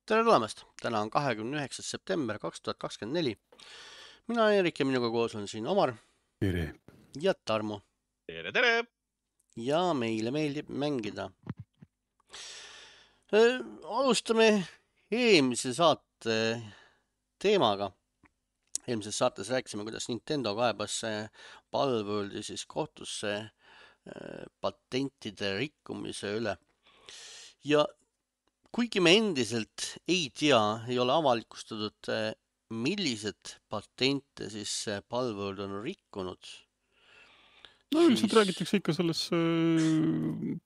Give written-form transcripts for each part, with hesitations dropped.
Tere tulemast! Täna on 29. september 2024. Mina olen Erik ja minuga koos on siin Omar Tere. ja Tarmo. Tere, tere! Ja meile meeldib mängida. Alustame eelmise saate teemaga. Eelmises saates rääkisime, kuidas Nintendo kaebas Palworldi siis kohtusse patentide rikkumise üle. Ja kuigi me endiselt ei tea, ei ole avalikustatud, millised patente siis Palworld on rikkunud. No üldiselt räägitakse ikka selles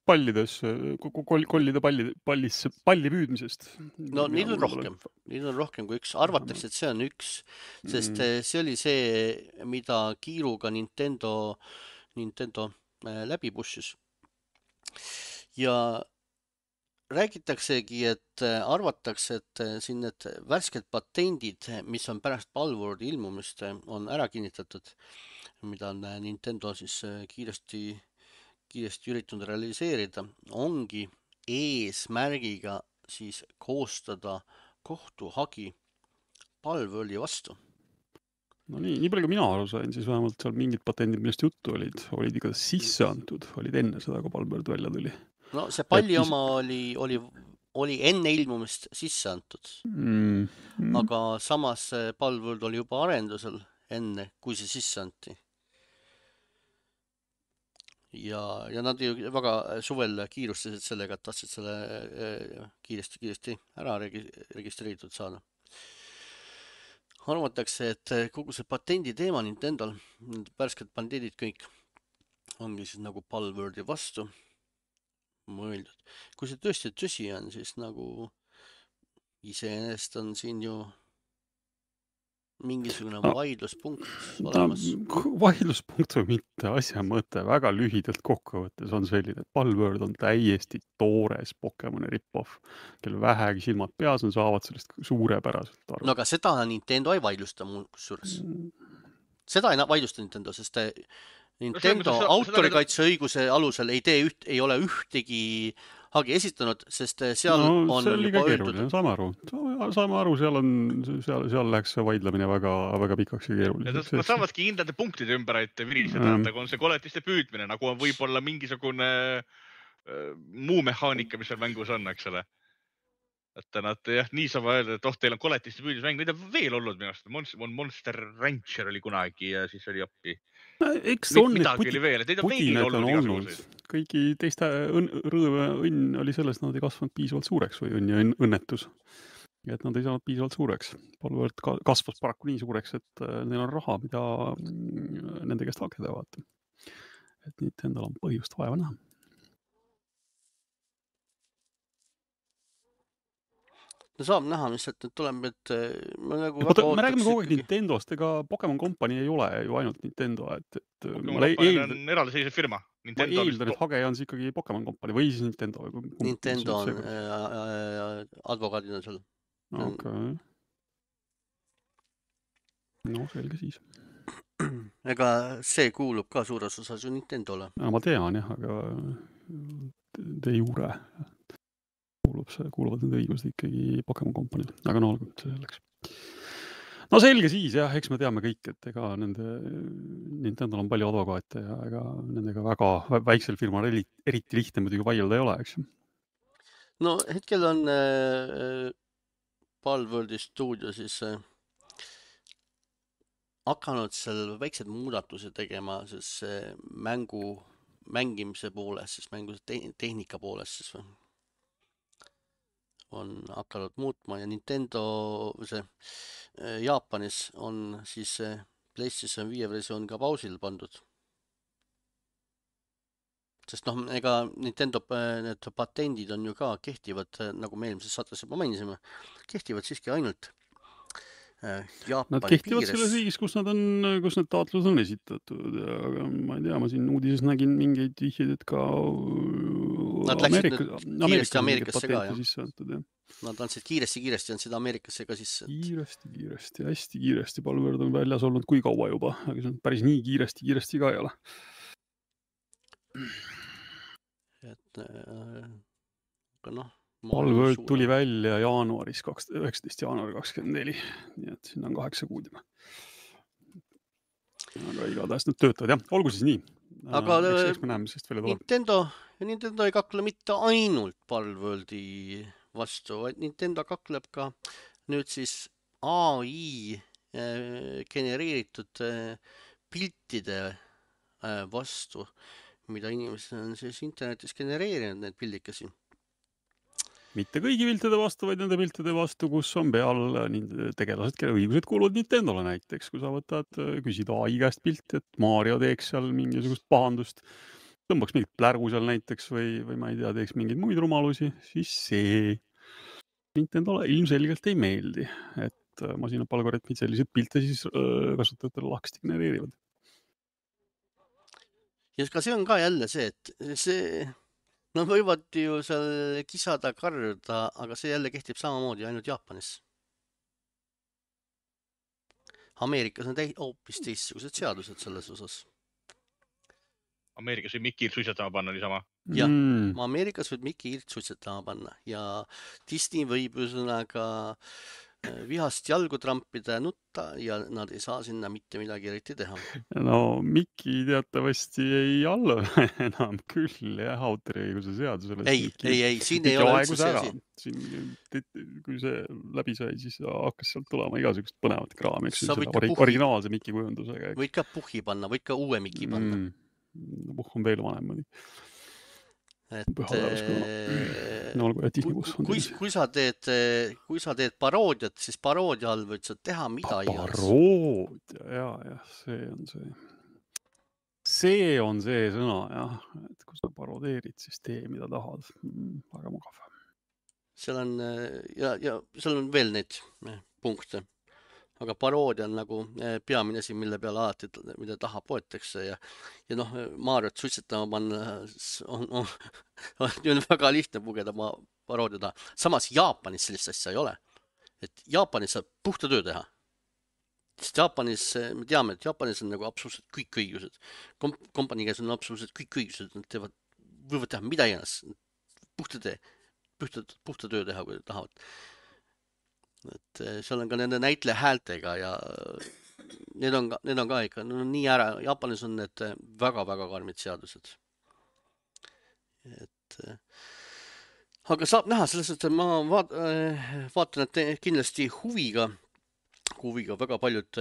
pallides, kollide palli püüdmisest. No neid on rohkem kui üks. Arvatakse, et see on üks, sest see oli see, mida kiiruga Nintendo läbi pushis. Ja räägitaksegi, et arvatakse, et siin need värsked patendid, mis on pärast Palworldi ilmumist, on ära kinnitatud, mida on Nintendo siis kiiresti üritanud realiseerida, ongi eesmärgiga siis koostada kohtuhagi Palworldi vastu. No nii palju kui mina aru sain, siis vähemalt seal mingid patendid, millest juttu olid ikka sisse antud, olid enne seda, kui Palworld välja tuli. No see palli oma oli enne ilmumist sisse antud, aga samas Palworld oli juba arendusel enne, kui see sisse anti. Ja nad ju väga suvel kiirustasid sellega, et tahtsid selle kiiresti ära registreeritud saada. Arvatakse, et kogu see patendi teema Nintendol, värsked patendid kõik, ongi siis nagu Palworldi vastu mõeldud. Kui see tõsi on, siis nagu iseenesest on siin ju mingisugune vaidluspunkt olemas. Vaidluspunkt või mitte, asja mõte väga lühidalt kokkuvõttes on selline, et Palworld on täiesti toores Pokemoni rip-off, kel vähegi silmad peas on, saavad sellest suurepäraselt aru. No aga seda Nintendo ei vaidlusta mul kusjuures. Seda ei vaidlusta Nintendo, sest Nintendo autorikaitseõiguse alusel ei ole ühtegi hagi esitanud, sest seal on see oli ka keeruline, saame aru, seal läheks vaidlemine väga pikaks ja keeruliseks. Nad saavadki hindade punktide ümber, et viriseda, et on see koletiste püüdmine, nagu on võib-olla mingisugune muu mehaanika, mis seal mängus on, eks ole. Et nad nii saavad öelda, et teil on koletiste püüdmismäng, mida veel olnud minust. Monster Rancher oli kunagi ja siis oli appi. Midagi oli veel, et neid on veel olnud igasuguseid. Kõigi teiste rõõve õnn oli selles, et nad ei kasvanud piisavalt suureks või õnn ja õnnetus. Et nad ei saanud piisavalt suureks. Palworld kasvas paraku nii suureks, et neil on raha, mida nende käest hageda vaata. Et nüüd endal on põhjust vaeva näha. No saab näha, mis sealt nüüd tuleb, et me räägime kogu aeg Nintendost, ega Pokemon Company ei ole ju ainult Nintendo. Pokemon Company on eraldiseisev firma. Ma eeldan, et hage on ikkagi Pokemon Company või siis Nintendo. Nintendo on advokaadina seal. Okay. No selge siis. Ega see kuulub ka suures osas ju Nintendole. Ma tean jah, aga de jure kuuluvad need õigused ikkagi Pokemon Company, aga no olgu selleks. No selge siis jah, eks me teame kõik, et ega Nintendol on palju advokaate ja ega nendega väga väiksel firmal eriti lihtne muidugi vaielda ei ole, eks. No hetkel on Palworldi stuudio siis hakanud seal väiksed muudatused tegema siis mängimise pooles, siis mänguse tehnika pooles siis on hakanud muutma ja Nintendo Jaapanis on siis PlayStation 5 versioon ka pausil pandud. Sest ega Nintendo need patendid on ju ka kehtivad, nagu me eelmises saates juba mainisime, kehtivad siiski ainult Jaapani nad kehtivad selles riigis, kus need taotlused on esitatud. Aga ma ei tea, ma siin uudises nägin mingeid vihjeid, et ka nad läksid kiiresti Ameerikasse ka, jah. Nad andsid kiiresti andsid Ameerikasse ka sisse. Kiiresti, hästi kiiresti. Palworld on väljas olnud kui kaua juba, aga see on päris nii kiiresti ka ei ole. Et aga Palworld tuli välja jaanuaris, 19. jaanuari 24, nii et sinna on 8 kuud juba. Aga igatahes nad töötavad, jah. Olgu siis nii. Aga eks me näeme, sest välja tuleb. Nintendo ei kakle mitte ainult Palworldi vastu, vaid Nintendo kakleb ka nüüd siis AI genereeritud piltide vastu, mida inimesed on siis internetis genereerinud, need pildikesi. Mitte kõigi piltide vastu, vaid nende piltide vastu, kus on peal tegelased, kelle õigused kuuluvad Nintendole näiteks, kui sa võtad, küsid AI käest pilti, et Mario teeks seal mingisugust pahandust, tõmbaks mingit plärgu seal näiteks või ma ei tea, teeks mingeid muid rumalusi, siis see Nintendole ilmselgelt ei meeldi, et masinapalgaritmid selliseid pilte siis kasutajatele lahkesti genereerivad. Ja ka see on ka jälle see, et see... Nad võivad ju seal kisada, karjuda, aga see jälle kehtib samamoodi ainult Jaapanis. Ameerikas on hoopis teistsugused seadused selles osas. Ameerikas võib Mickey suitsetama panna niisama. Jah, Ameerikas võib Mickey suitsetama panna ja Disney võib üsnaga vihast jalgu trampida ja nutta ja nad ei saa sinna mitte midagi eriti teha. No Mickey teatavasti ei allu enam küll jah, autoriõiguse seadusele. Ei, siin ei ole üldse see asi. Kui see läbi sai, siis hakkas sealt tulema igasugust põnevat kraami, eks originaalse Mickey kujundusega. Võid ka puhhi panna, võid ka uue Mickey panna. Puh on veel vanem mõni. Kui sa teed paroodiat, siis paroodia all võid sa teha mida iganes. Paroodia, jah, see on see sõna, jah, et kui sa paroodeerid, siis tee mida tahad. Väga mugav. Seal on veel neid punkte. Aga paroodia on nagu peamine asi, mille peale alati, mida taha poetakse ja noh, Mariot suitsetama panna on väga lihtne pugeda paroodia taha. Samas Jaapanis sellist asja ei ole. Et Jaapanis saab puhta töö teha. Sest Jaapanis, me teame, et Jaapanis on nagu absoluutselt kõik õigused. Kompanii käes on absoluutselt kõik õigused. Nad võivad teha mida iganes. Puhta töö teha, kui tahavad. Et seal on ka nende näitleja häältega ja need on ka ikka nii ära. Jaapanis on need väga-väga karmid seadused. Aga saab näha selles, et ma vaatan, et kindlasti huviga väga paljud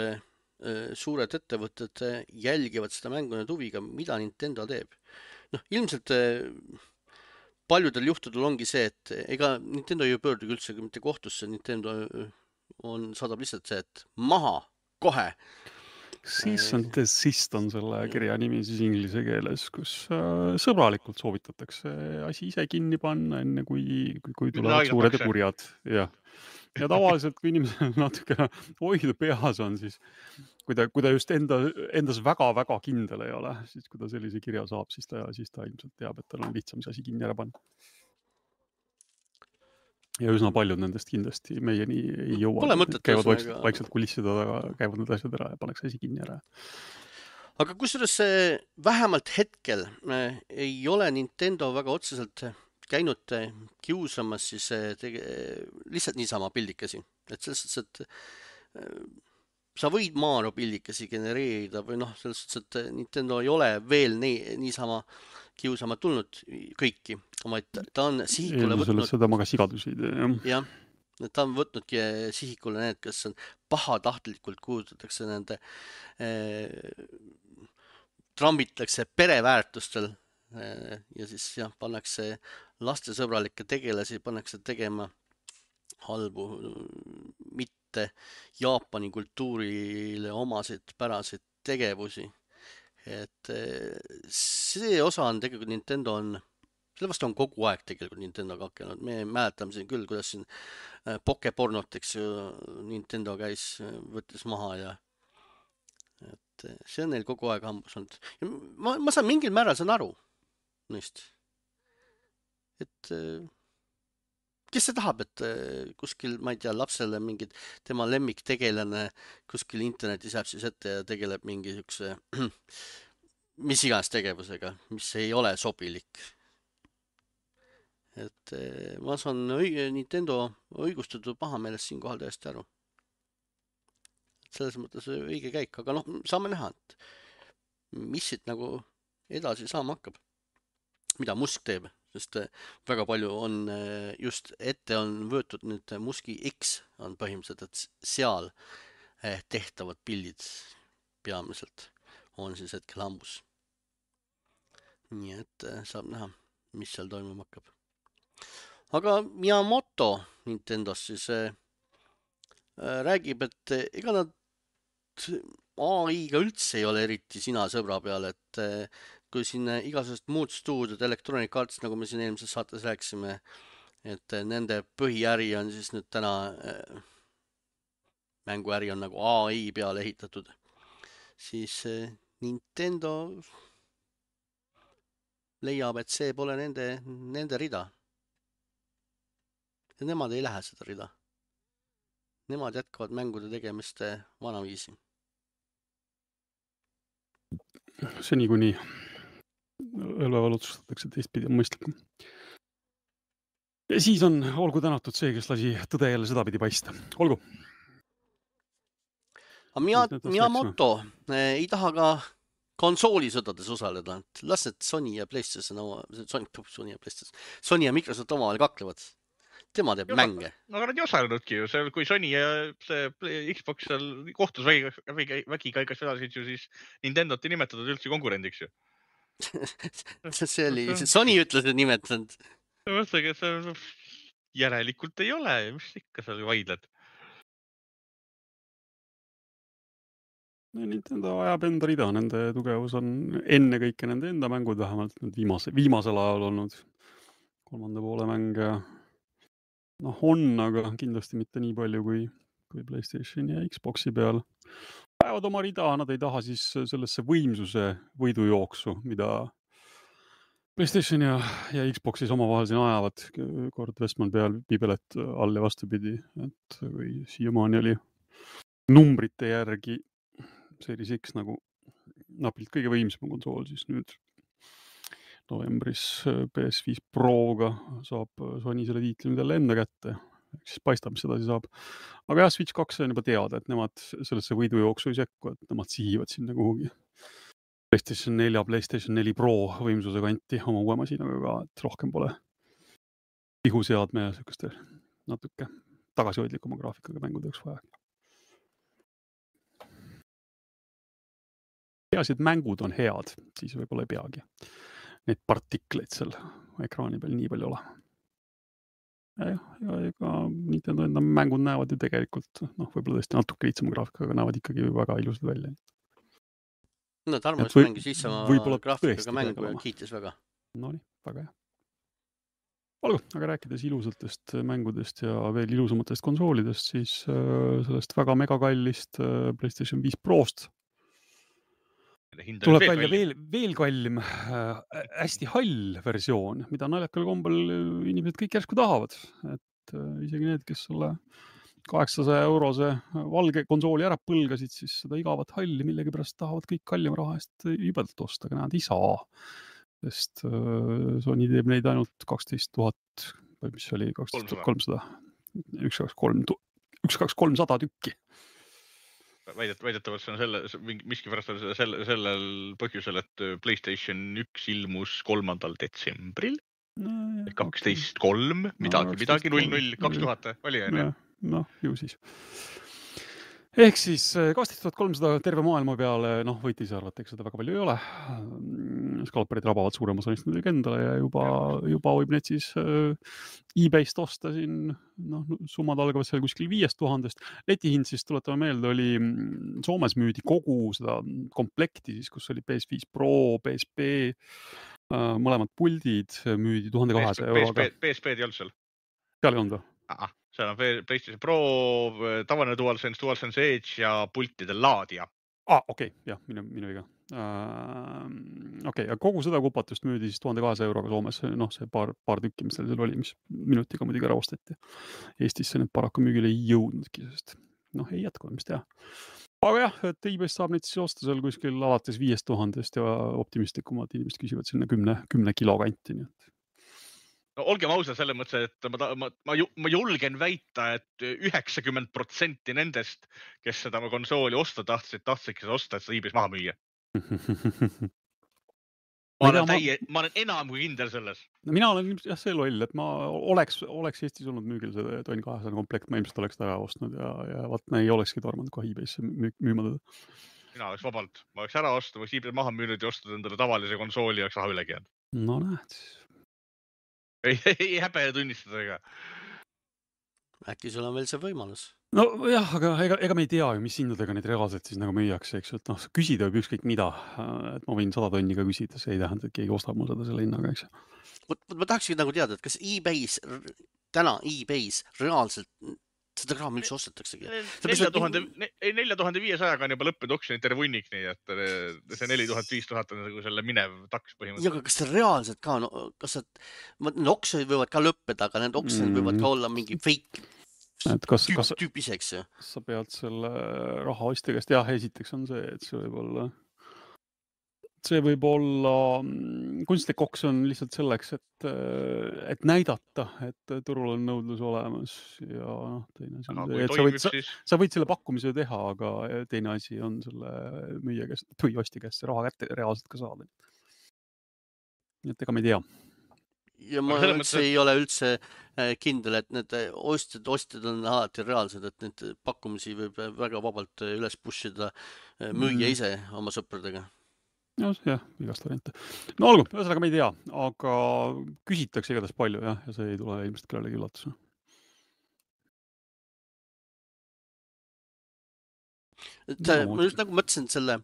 suured ettevõtted jälgivad seda mängu nüüd huviga, mida Nintendo teeb. Noh, ilmselt paljudel juhtudel ongi see, et ega Nintendo ei pöördugi üldse mitte kohtusse, Nintendo saadab lihtsalt see, et maha, kohe. Cease and desist on selle kirja nimi siis inglise keeles, kus sõbralikult soovitatakse asi ise kinni panna, enne kui tulevad suured ja kurjad. Ja tavaliselt, kui inimesel natuke hoidu peas on, siis kui ta just endas väga-väga kindel ei ole, siis kui ta sellise kirja saab, siis ta ilmselt teab, et tal on lihtsam see asi kinni ära panna. Ja üsna paljud nendest kindlasti meieni ei jõua. Käivad vaikselt kulissida taga, käivad need asjad ära ja pannakse asi kinni ära. Aga kusjuures vähemalt hetkel ei ole Nintendo väga otseselt käinud kiusamas siis lihtsalt niisama pildikesi. Et selles suhtes, et sa võid Mario pildikesi genereerida või noh, selles suhtes, et Nintendo ei ole veel niisama kiusama tulnud kõiki, vaid ta on sihikule võtnud... Seda ma ka sigadusi teen, jah. Ta on võtnudki sihikule need, kes on pahatahtlikult kuulutatakse nende trambitakse pereväärtustel ja siis jah, pannakse lastesõbralikke tegelasi, pannakse tegema halbu, mitte Jaapani kultuurile omasid päraseid tegevusi. Et see osa on tegelikult Nintendo selle vastu on kogu aeg tegelikult Nintendo kakelnud. Me mäletame siin küll, kuidas siin Pokepornot, eks ju, Nintendo käis, võttis maha ja et see on neil kogu aeg hambus olnud. Ja ma saan mingil määral saan aru neist. Et kes see tahab, et kuskil, ma ei tea, lapsele mingid tema lemmiktegelane kuskil internetis jääb siis ette ja tegeleb mingi siukse mis iganes tegevusega, mis ei ole sobilik. et ma saan Nintendo õigustatud pahameelest siinkohal täiesti aru. Selles mõttes õige käik, aga noh, saame näha, et mis siit nagu edasi saama hakkab. Mida Musk teeb, sest väga palju on just ette on võetud nüüd Muski X on põhimõtteliselt, et seal tehtavad pildid peamiselt on siis hetkel hambus. Nii et saab näha, mis seal toimuma hakkab. Aga Miyamoto Nintendos siis räägib, et ega nad AI-ga üldse ei ole eriti sina sõbra peal, et kui siin igasugused muud stuudiod, Electronic Arts, nagu me siin eelmises saates rääkisime, et nende põhiäri on siis nüüd täna, mänguäri on nagu AI peale ehitatud, siis Nintendo leiab, et see pole nende rida. Ja nemad ei lähe seda rida. Nemad jätkavad mängude tegemist vanaviisi. Seni kuni õlveval otsustatakse teistpidi on mõistlikum. Ja siis on olgu tänatud see, kes lasi tõde jälle sedapidi paista. Olgu. Miyamoto ei taha ka konsoolisõdades osaleda. Las need Sony ja PlayStation, Sony ja Microsoft omavahel kaklevad. Tema teeb mänge. No aga nad ei osalenudki ju. Kui Sony ja see Xbox seal kohtus vägiga igas vedasid ju, siis Nintendot ei nimetatud üldse konkurendiks ju. See oli, Sony ütles, et nimetanud. Mõtlega, et järelikult ei ole. Mis ikka seal vaidled? Nintendo ajab enda rida, nende tugevus on enne kõike nende enda mängud, vähemalt viimasel ajal olnud 3. poole mänge. Noh, on, aga kindlasti mitte nii palju kui PlayStation ja Xboxi peal. Ajavad oma rida, nad ei taha siis sellesse võimsuse võidujooksu, mida PlayStation ja Xboxis omavahel siin ajavad. Kord Westman peal piibelet all ja vastupidi, et kui siiamaani oli numbrite järgi Series X nagu napilt kõige võimsam konsool, siis nüüd novembris PS5 Proga saab Sony selle tiitli nüüd jälle enda kätte. Siis paistab, mis sedasi saab. Aga jah, Switch 2 on juba teada, et nemad sellesse võidujooksu ei sekku, et nemad sihivad sinna kuhugi PlayStation 4, PlayStation 4 Pro võimsuse kanti oma uue masinaga ka, et rohkem pole pihuseadme ja sellistel natuke tagasihoidlikuma graafikaga mängudeks vaja. Peaasi, et mängud on head, siis võib-olla ei peagi neid partikleid seal ekraani peal nii palju ole. Ja ega Nintendo enda mängud näevad ju tegelikult, võib-olla tõesti natuke lihtsama graafikaga, näevad ikkagi väga ilusad välja. No Tarmo just mängis lihtsama graafikaga mängu ja kiitis väga. No nii, väga hea. Olgu, aga rääkides ilusatest mängudest ja veel ilusamatest konsoolidest, siis sellest väga megakallist PlayStation 5 Prost tuleb välja veel kallim, hästi hall versioon, mida naljakal kombel inimesed kõik järsku tahavad. Et isegi need, kes selle 800 eurose valge konsooli ära põlgasid, siis seda igavat halli millegi pärast tahavad kõik kallima raha eest jubedalt osta, aga nad ei saa. Sest Sony teeb neid ainult 12 000, või mis oli 12 300, 1-2-300 tükki. Väidetavalt see on miskipärast sellel põhjusel, et PlayStation 1 ilmus 3. detsembril, 12.3, midagi 00, 2000 oli enne. Noh, ju siis. Ehk siis 12300 terve maailma peale, võite ise arvata, eks seda väga palju ei ole. Skalperid rabavad suurema sonist nüüd endale ja juba võib need siis eBayst osta siin, summad algavad seal kuskil 5000. Letihind siis, tuletame meelde, oli Soomes müüdi kogu seda komplekti siis, kus oli PS5 Pro, PSP, mõlemad puldid müüdi 1200 euroga. PSP-d ei olnud seal? Seal ei olnud või? Seal on PlayStation Pro, tavaline DualSense Edge ja pultide laadija. Okei, jah, minu viga. Okei, ja kogu seda kupatust müüdi siis 1200 euroga Soomes, see paar tükki, mis seal oli, mis minutiga muidugi ära osteti. Eestisse need paraku müügile ei jõudnudki, sest ei jätku, mis teha. Aga jah, et eBayst saab neid siis osta seal kuskil alates 5000 ja optimistlikumad inimesed küsivad sinna 10 kilo kanti, nii et No, olgem ausad selles mõttes, et ma julgen väita, et 90% nendest, kes seda konsooli osta tahtsidki seda osta, et seda eBay's maha müüa. Ma olen enam kui kindel selles. Mina olen jah see loll, et ma oleks Eestis olnud müügil see Tonn 200 komplekt, ma ilmselt oleks ta ära ostnud ja vaat ei olekski tormanud kohe eBay'sse müüma teda. Mina oleks vabalt, ma oleks ära ostnud, ma oleks eBay maha müünud ja ostnud endale tavalise konsooli ja oleks raha ülegi jäänud. No näed. Ei häbe tunnistada ega. Äkki sul on veel see võimalus? No jah, aga ega me ei tea ju, mis hindadega neid reaalselt siis nagu müüakse, eks, et noh, küsida võib ükskõik mida, et ma võin 100 tonni ka küsida, see ei tähenda, et keegi ostab mul seda selle hinnaga, eks. Ma tahakski nagu teada, et kas täna eBay's reaalselt seda kraam üldse ostetaksegi? 4500-ga on juba lõppenud oksjonid terve hunnik, nii et see 4500 on nagu selle minev taks põhimõtteliselt. Ja, aga kas see reaalselt ka, kas need oksjonid võivad ka lõppeda, aga need oksjonid võivad ka olla mingi fake tüüp iseks. Sa pead selle raha ostja käest, jah, esiteks on see, et see võib olla kunstlik oksjon lihtsalt selleks, et näidata, et turul on nõudlus olemas ja noh, teine asi, sa võid selle pakkumise teha, aga teine asi on selle müüja käest või ostja käest see raha kätte reaalselt ka saada. Nii et ega me ei tea. Ja ma üldse ei ole üldse kindel, et need ostjad on alati reaalsed, et need pakkumisi võib väga vabalt üles pushida müüja ise oma sõpradega. Jah, igast variante. No olgu, ühesõnaga me ei tea, aga küsitakse igatahes palju ja see ei tule ilmselt kellelegi üllatus. Ma just nagu mõtlesin selle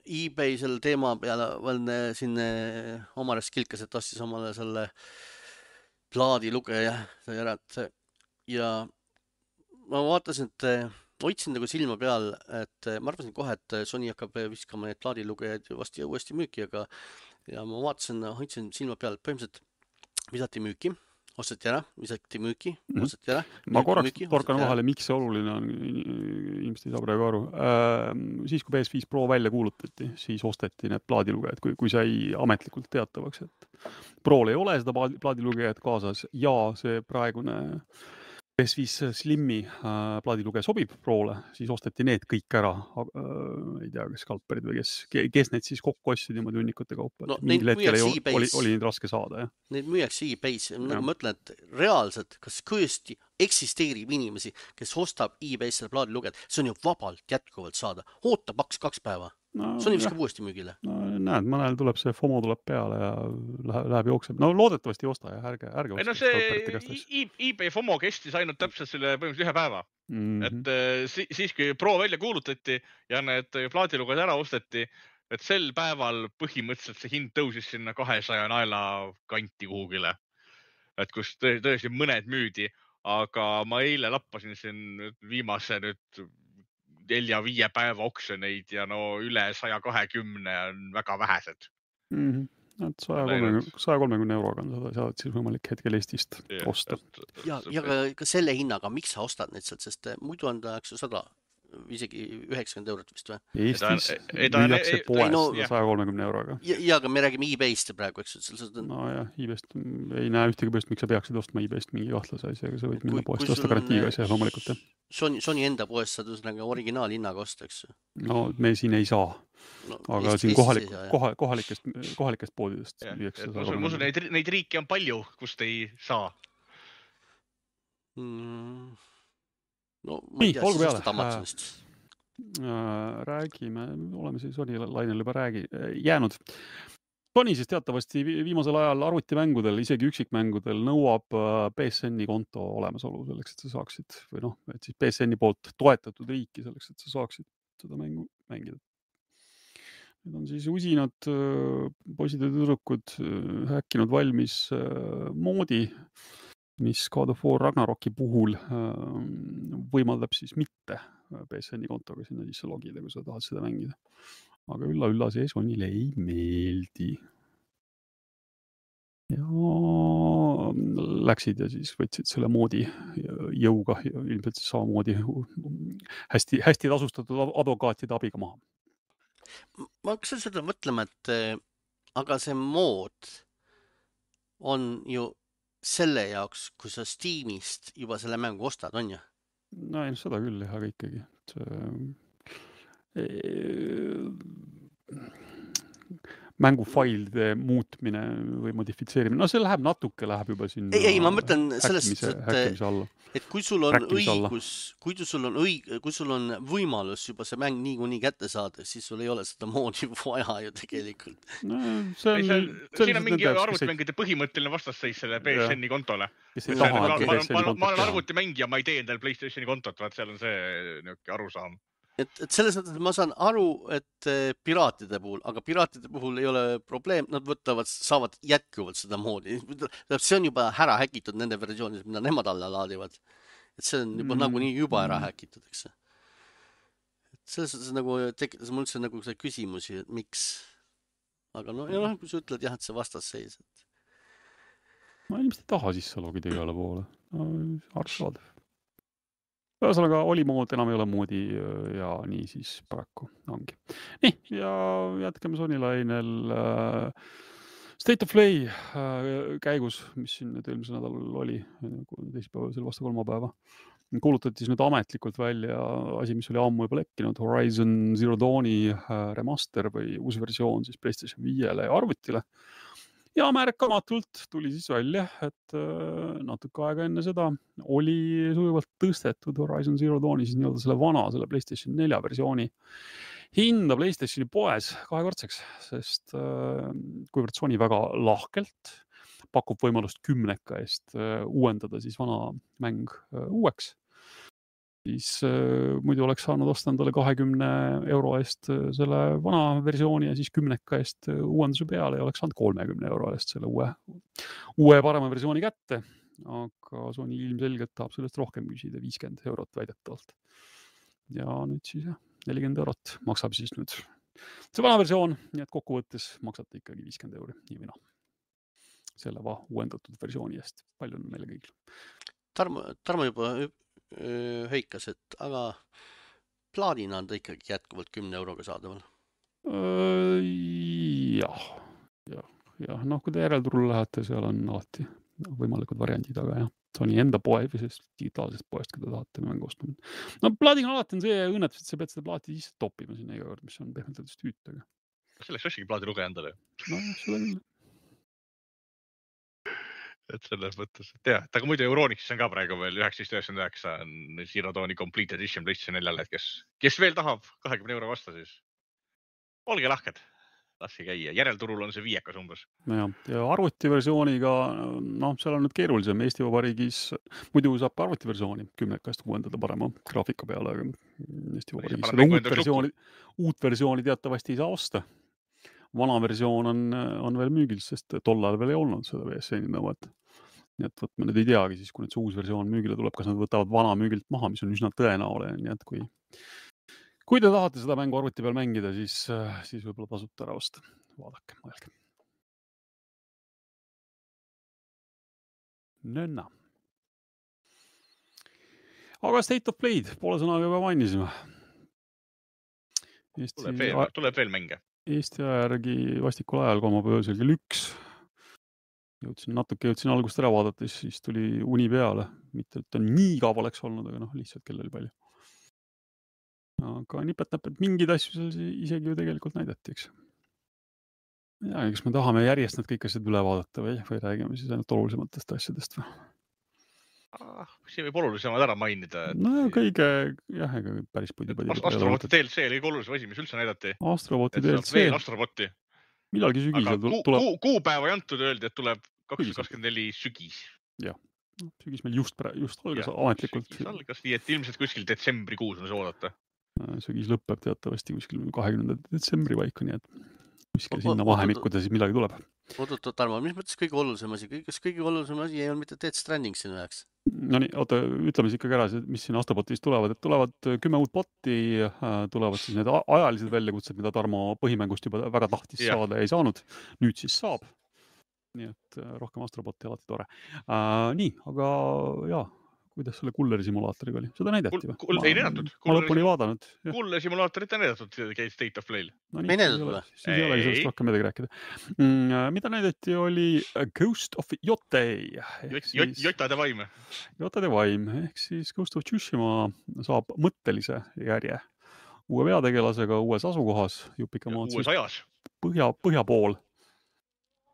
eBay selle teema peale siin Omares kilkas, et tastis omale selle plaadilugeja sai ära, ja ma vaatasin, et hoidsin nagu silma peal, et ma arvasin kohe, et Sony hakkab viskama need plaadilugejad uuesti müüki, aga ja ma vaatasin, hoidsin silma peal, põhimõtteliselt visati müüki, osteti ära, visati müüki, osteti ära. Ma korraks torkan vahele, miks see oluline on, ilmselt ei saa praegu aru. Siis, kui PS5 Pro välja kuulutati, siis osteti need plaadilugejad, kui sai ametlikult teatavaks, et Prol ei ole seda plaadilugejad kaasas ja see praegune PS5 Slimmi plaadilugeja sobib Prole, siis osteti need kõik ära. Ei tea, kas skalperid või kes need siis kokku ostsid niimoodi hunnikute kaupa. No, mingil hetkel oli neid raske saada. Ja. Neid müüakse eBay's. Nagu ma ütlen, et reaalselt, kas kõesti eksisteerib inimesi, kes ostab eBay's selle plaadilugejad, see on ju vabalt jätkuvalt saada. Oota 2 päeva. Sony viskab uuesti müügile. No, näed, mõnel tuleb see FOMO tuleb peale ja läheb jookseb. No loodetavasti ei osta ja ärge osta. See eBay FOMO kestis ainult täpselt selle põhimõtteliselt 1 päeva. Et siis, kui Pro välja kuulutati ja need plaadilugejad ära osteti, et sel päeval põhimõtteliselt see hind tõusis sinna 200 naela kanti kuhugile. Et kus tõesti mõned müüdi, aga ma eile lappasin siin viimase 4-5 päeva oksjoneid ja no üle 120 on väga vähesed. 130 euroga on seda siis võimalik hetkel Eestist osta. Ja ka selle hinnaga, miks sa ostad neid sealt, sest muidu on ta 100, isegi 90 eurot vist või? Eestis müüakse poes 130 euroga. Ja, aga me räägime eBay'st praegu, eks? No jah, eBay'st ei näe ühtegi põhjust, miks sa peaksid ostma eBay'st mingi kahtlase asja, aga sa võid minna poest osta garantiiga asja, loomulikult. Sony enda poest saad originaalhinnaga osta, eks? No me siin ei saa. Aga siin kohalikest poodidest müüakse. Ma usun, neid riike on palju, kust ei saa. No, ma ei tea, siis ostad Amazonist. Räägime, oleme siis Sony lainel juba jäänud. Sony siis teatavasti viimasel ajal arvutimängudel, isegi üksikmängudel nõuab PSN-i konto olemasolu selleks, et sa saaksid, või noh, et siis PSN-i poolt toetatud riiki selleks, et sa saaksid seda mängu mängida. Need on siis usinad poisid ja tüdrukud häkkinud valmis moodi, mis God of War Ragnaroki puhul võimaldab siis mitte PSN-i kontoga sinna sisse logida, kui sa tahad seda mängida. Aga ülla see Sonyle ei meeldi. Ja läksid ja siis võtsid selle moodi jõuga, ilmselt samamoodi hästi tasustatud advokaatide abiga maha. Ma hakkasin seda mõtlema, et aga see mood on ju selle jaoks, kui sa Steamist juba selle mängu ostad, on ju? No ei, seda küll jah, aga ikkagi. Mängufailide muutmine või modifitseerimine, no see läheb juba sinna ei, ma mõtlen sellest, häkkimise alla. Et kui sul on õigus, kui sul on võimalus juba see mäng niikuinii kätte saada, siis sul ei ole seda moodi vaja ju tegelikult. No, siin on mingi arvutimängide põhimõtteline vastasseis selle PSN-i kontole. Ma olen arvutimängija, ma ei tee endal PlayStationi kontot, vaat seal on see niuke arusaam. Et selles mõttes ma saan aru, et piraatide puhul, aga piraatide puhul ei ole probleem, nad saavad jätkuvalt seda moodi. See on juba ära häkitud nende versioonid, mida nemad alla laadivad. Et see on juba nagunii juba ära häkitud, eks. Selles mõttes nagu tekitas mul üldse nagu see küsimusi, et miks. Aga kui sa ütled jah, et see vastasseis. Ma ilmselt ei taha sisse logida igale poole. Arusaadav. Ühesõnaga oli mood, enam ei ole moodi ja nii siis paraku ongi. Nii, ja jätkame Sony lainel State of Play käigus, mis siin nüüd eelmisel nädalal oli, teisipäeval, selle vastu kolmapäeva. Kuulutati siis nüüd ametlikult välja asi, mis oli ammu juba lekkinud, Horizon Zero Dawni remaster või uus versioon siis PlayStation 5-le ja arvutile. Ja märkamatult tuli siis välja, et natuke aega enne seda oli sujuvalt tõstetud Horizon Zero Dawni siis nii-öelda selle PlayStation 4 versiooni hinda PlayStationi poes kahekordseks, sest kuivõrd Sony väga lahkelt pakub võimalust 10 eest uuendada siis vana mäng uueks, siis muidu oleks saanud osta endale 20 euro eest selle vana versiooni ja siis 10 eest uuenduse peale ja oleks saanud 30 euro eest selle uue parema versiooni kätte. Aga Sony ilmselgelt tahab sellest rohkem küsida, 50 eurot väidetavalt. Ja nüüd siis 40 eurot maksab siis nüüd see vana versioon, nii et kokkuvõttes maksate ikkagi 50 euri, nii või noh. Selle uuendatud versiooni eest. Palju on meile kõigil. Tarmo juba heikas, et aga plaadina on ta ikkagi jätkuvalt 10 euroga saadaval. Jah. Noh, kui te järelturul lähete, seal on alati võimalikud variandid, aga jah, Sony enda poe või sellest digitaalsest poest, kui te tahate mängu ostma. No plaadina alati on see õnnetus, et sa pead seda plaati sisse toppima sinna iga kord, mis on pehmelt tüütaga. Selleks ostigi plaadi lugeja endale. No jah, seda küll. Et selles mõttes, et jah, aga muidu Euronixis on ka praegu veel 1999 on Zero Dawni Complete Edition PlayStation 4-le, et kes veel tahab 20 euro vastu, siis olge lahked, laske käia. Järelturul on see 5 umbes. Ja arvutiversiooniga, seal on nüüd keerulisem. Eesti Vabariigis muidu saab arvutiversiooni 10 eest uuendada parema graafika peale, aga Eesti Vabariigis uut versiooni teatavasti ei saa osta. Vana versioon on veel müügil, sest tollal veel ei olnud seda VSN-i nõuet. Nii et me nüüd ei teagi siis, kui nüüd see uus versioon müügile tuleb, kas nad võtavad vana müügilt maha, mis on üsna tõenäoline. Nii et kui te tahate seda mängu arvuti peal mängida, siis võib-olla tasub ära osta. Vaadake, mõelge. Nõnna. Aga State of Play'd poole sõnaga juba mainisime. Tuleb veel mänge. Eesti järgi vastikul ajal kolmapäeval kell 1. Jõudsin algust ära vaadates, siis tuli uni peale. Mitte, et ta nii kaua oleks olnud, aga lihtsalt kell oli palju. Aga nipet-näpet mingid asju seal isegi ju tegelikult näidati, eks. Ja, kas me tahame järjest need kõik asjad üle vaadata või räägime siis ainult olulisematest asjadest või? Siin võib olulisemad ära mainida. No kõige, ega päris põdi. Astroboti DLC oli kõige olulisem asi, mis üldse näidati. Astroboti DLC. Veel Astroboti. Millalgi sügisel tuleb. Kuupäeva ei antud, öeldi, et tuleb 2024 sügis. Jah, sügis meil just algas ametlikult. Sügis algas, nii et ilmselt kuskil detsembrikuus on see oodata. Sügis lõpeb teatavasti kuskil 20. detsembri paika, nii et kuskil sinna vahemikkuda siis midagi tuleb. Oot, Tarmo, mis mõttes kõige olulisem asi? Kas kõige olulisem asi ei ole mitte Death Stranding sinu jaoks? No nii, ütleme siis ikkagi ära, mis siin Astrobotis tulevad. Et tulevad 10 uut botti, tulevad siis need ajalised väljakutsed, mida Tarmo põhimängust juba väga tahtis saada ja ei saanud. Nüüd siis saab. Nii et rohkem Astrobotti alati tore. Nii, aga kuidas selle kulleri simulaatoriga oli? Seda näidati või? Ei näidatud. Ma lõpuni ei vaadanud. Kulle simulaatorit ei näidatud State of Play'l. No nii, Ei näidatud või? siis ei olegi sellest rohkem midagi rääkida. Mida näidati oli Ghost of Yotei. Jotade vaim. Jotade vaim, ehk siis Ghost of Tsushima saab mõttelise järje. Uue peategelasega uues asukohas. Uues ajas. Põhja pool.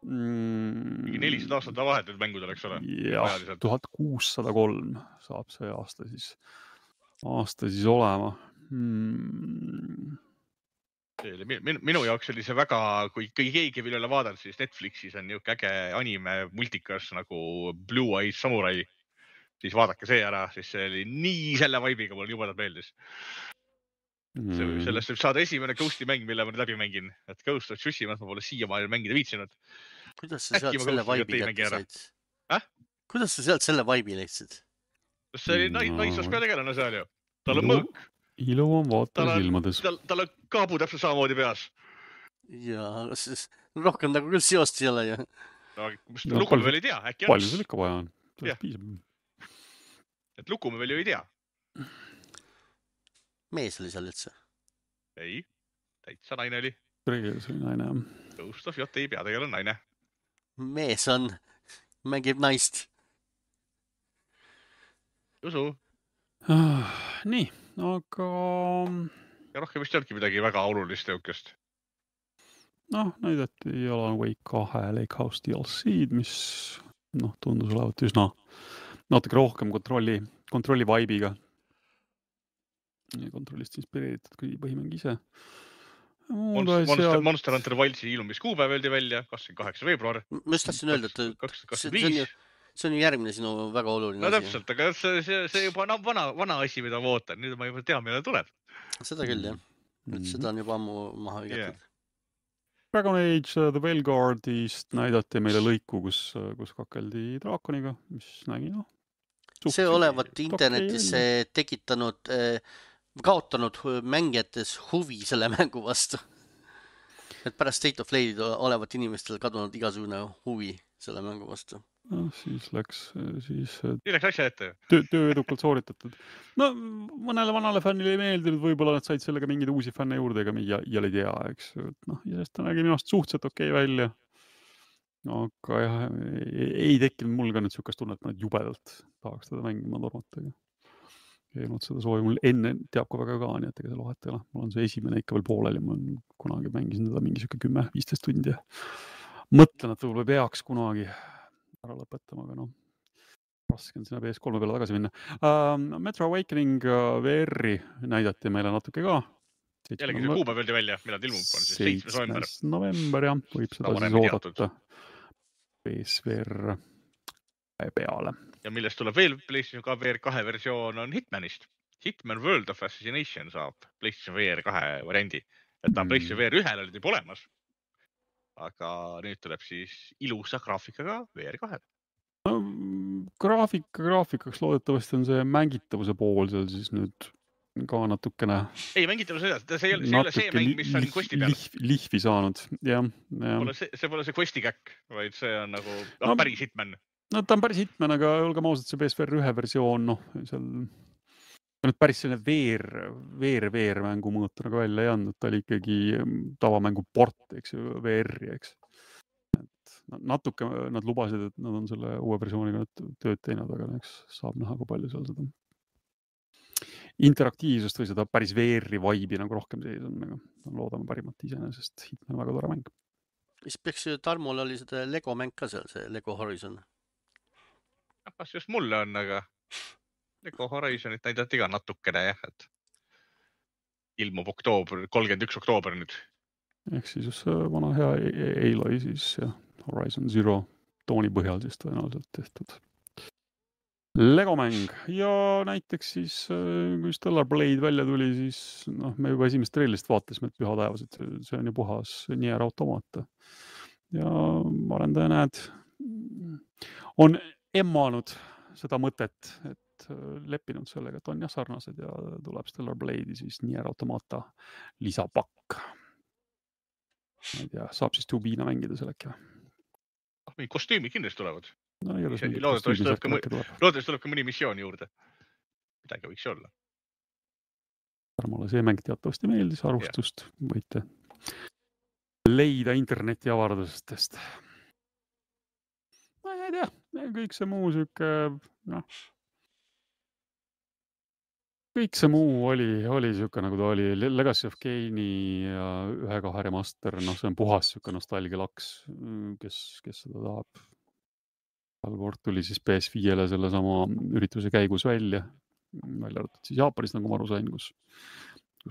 Mingi 400 aastat vahetud mängud oleks ole. Jah, 1603 saab see aasta siis olema. Minu jaoks oli see väga, kui keegi veel ei ole vaadanud, siis Netflixis on niisugune äge anime multikas nagu Blue Eyed Samurai. Siis vaadake see ära, siis see oli nii selle vaibiga, mul jubedalt meeldis. Sellest võib saada esimene Ghosti mäng, mille ma nüüd läbi mängin. Et Ghost of Tsushima ma pole siiamaani mängida viitsinud. Kuidas sa sealt selle vaibi kätte said? Kuidas sa sealt selle vaibi leidsid? See oli naisvas peategelane seal ju. Tal on mõõk. Ilu on vaataja silmades. Tal on kaabu täpselt samamoodi peas. Jaa, rohkem nagu küll seost ei ole ju. Lugu me veel ei tea. Palju sul ikka vaja on? Et lugu me veel ju ei tea. Mees oli seal üldse? Ei, täitsa naine oli. Reegis oli naine, jah. Ghost of Yotei peategelane naine. Mees on, mängib naist. Usu. Nii, aga... Ja rohkem vist ei olnudki midagi väga olulist jõukest. Näidati Alan Wake 2 Lake House DLC-d, mis tundus olevat üsna natuke rohkem kontrolli vaibiga. Kontrollist inspireeritud kui põhimäng ise. Monster Hunter Wildsi ilmumis kuupäev öeldi välja, 28. veebruar. Ma just tahtsin öelda, et see on ju järgmine sinu väga oluline asi. No täpselt, aga see juba vana asi, mida ma ootan. Nüüd ma juba tean, millal tuleb. Seda küll, jah. Seda on juba ammu maha hõigatud. Dragon Age The Veilguardist näidati meile lõiku, kus kakeldi draakoniga, mis nägi, see olevat internetis tekitanud, kaotanud mängijates huvi selle mängu vastu. Et pärast State of Play'd olevat inimestel kadunud igasugune huvi selle mängu vastu. Siis läks asja ette. Töö edukalt sooritatud. Mõnele vanale fännile ei meeldinud, võib-olla nad said sellega mingeid uusi fänne juurde, ega ja ei tea, eks. Ja sest ta nägi minust suhteliselt okei välja. Aga jah, ei tekkinud mul ka nüüd sükast tunnet, et ma jubedalt tahaks teda mängima tormata. Ei olnud seda soovi mul enne teab ka väga ka, nii et ega see lohet ei ole. Mul on see esimene ikka veel poolel ja ma kunagi mängisin teda mingi 10-15 tundi. Mõtlen, et võib-olla peaks kunagi ära lõpetama, aga raske on sinna PS3 peale tagasi minna. Metro Awakening VR-i näidati meile natuke ka. Jällegi see kuupäev öeldi välja, millal ilmub on siis 7. november, jah. Võib seda siis oodata PSVR peale. Ja millest tuleb veel PlayStation VR 2 versioon on Hitmanist. Hitman World of Assassination saab PlayStation VR 2 variandi. Et ta on PlayStation VR 1 oli juba olemas. Aga nüüd tuleb siis ilusa graafikaga VR 2. Graafikaks loodetavasti on see mängitavuse pool seal siis nüüd ka natukene... Ei, mängitavuse see ei ole see mäng, mis on Questi peal. Lihvi saanud, jah. See pole see Questi käkk, vaid see on nagu päris Hitman. Ta on päris Hitman, aga olgem ausad, see PSVR 1 versioon, seal nüüd päris selline VR-mängu mõõtu nagu välja ei andnud, ta oli ikkagi tavamängu port, eks ju, VR-i, eks. Natuke nad lubasid, et nad on selle uue versiooniga tööd teinud, aga eks saab näha, kui palju seal seda interaktiivsust või seda päris VR-i vaibi nagu rohkem sees on, aga loodame parimat iseenesest. Hitman väga tore mäng. Mis peaks ju Tarmol oli seda Lego mäng ka seal, see Lego Horizon? Kas just mulle on, aga Lego Horizonit näidati ka natukene, jah, et ilmub 31. oktoober nüüd. Ehk siis just see vana hea Aloy siis ja Horizon Zero tooni põhjal siis tõenäoliselt tehtud Lego mäng ja näiteks siis, kui Stellar Blade välja tuli, siis me juba esimest treilist vaatasime, et püha taevas, et see on ju puhas Nier Automata. Ja arendaja näed, on emmanud seda mõtet, et leppinud sellega, et on jah sarnased ja tuleb Stellar Blade'i siis Nier Automata lisapakk. Ma ei tea, saab siis Tubiina mängida selleki või? Mingi kostüümi kindlasti tulevad. No igatahes mingit Loodetavasti kostüümisärki tuleb. tuleb ka mõni missioon juurde. Midagi võiks olla. Mulle see mäng teatavasti meeldis, arvustust võite leida interneti avardustest. Ma ei tea, kõik see muu siuke, noh. Kõik see muu oli siuke nagu ta oli. Legacy of Kane'i ja 1-2 remaster, noh see on puhas siuke nostalgialaks, kes seda tahab. Algord tuli siis PS5-le selle sama ürituse käigus välja arvatud siis Jaapanis, nagu ma aru sain, kus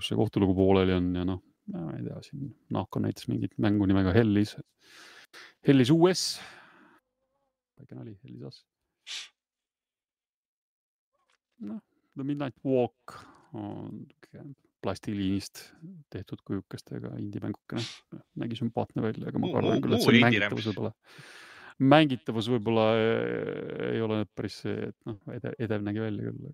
see kohtulugu pooleli on ja noh, ma ei tea, siin Nahko näitas mingit mängu nimega Hellis US. Väike nali, Hellis As. Noh, The Midnight Walk on plastiliinist tehtud kujukestega indie-mängukene. Nägi sümpaatne välja, aga ma arvan küll, et see mängitavus võib-olla ei ole päris see, et noh, edev nägi välja küll.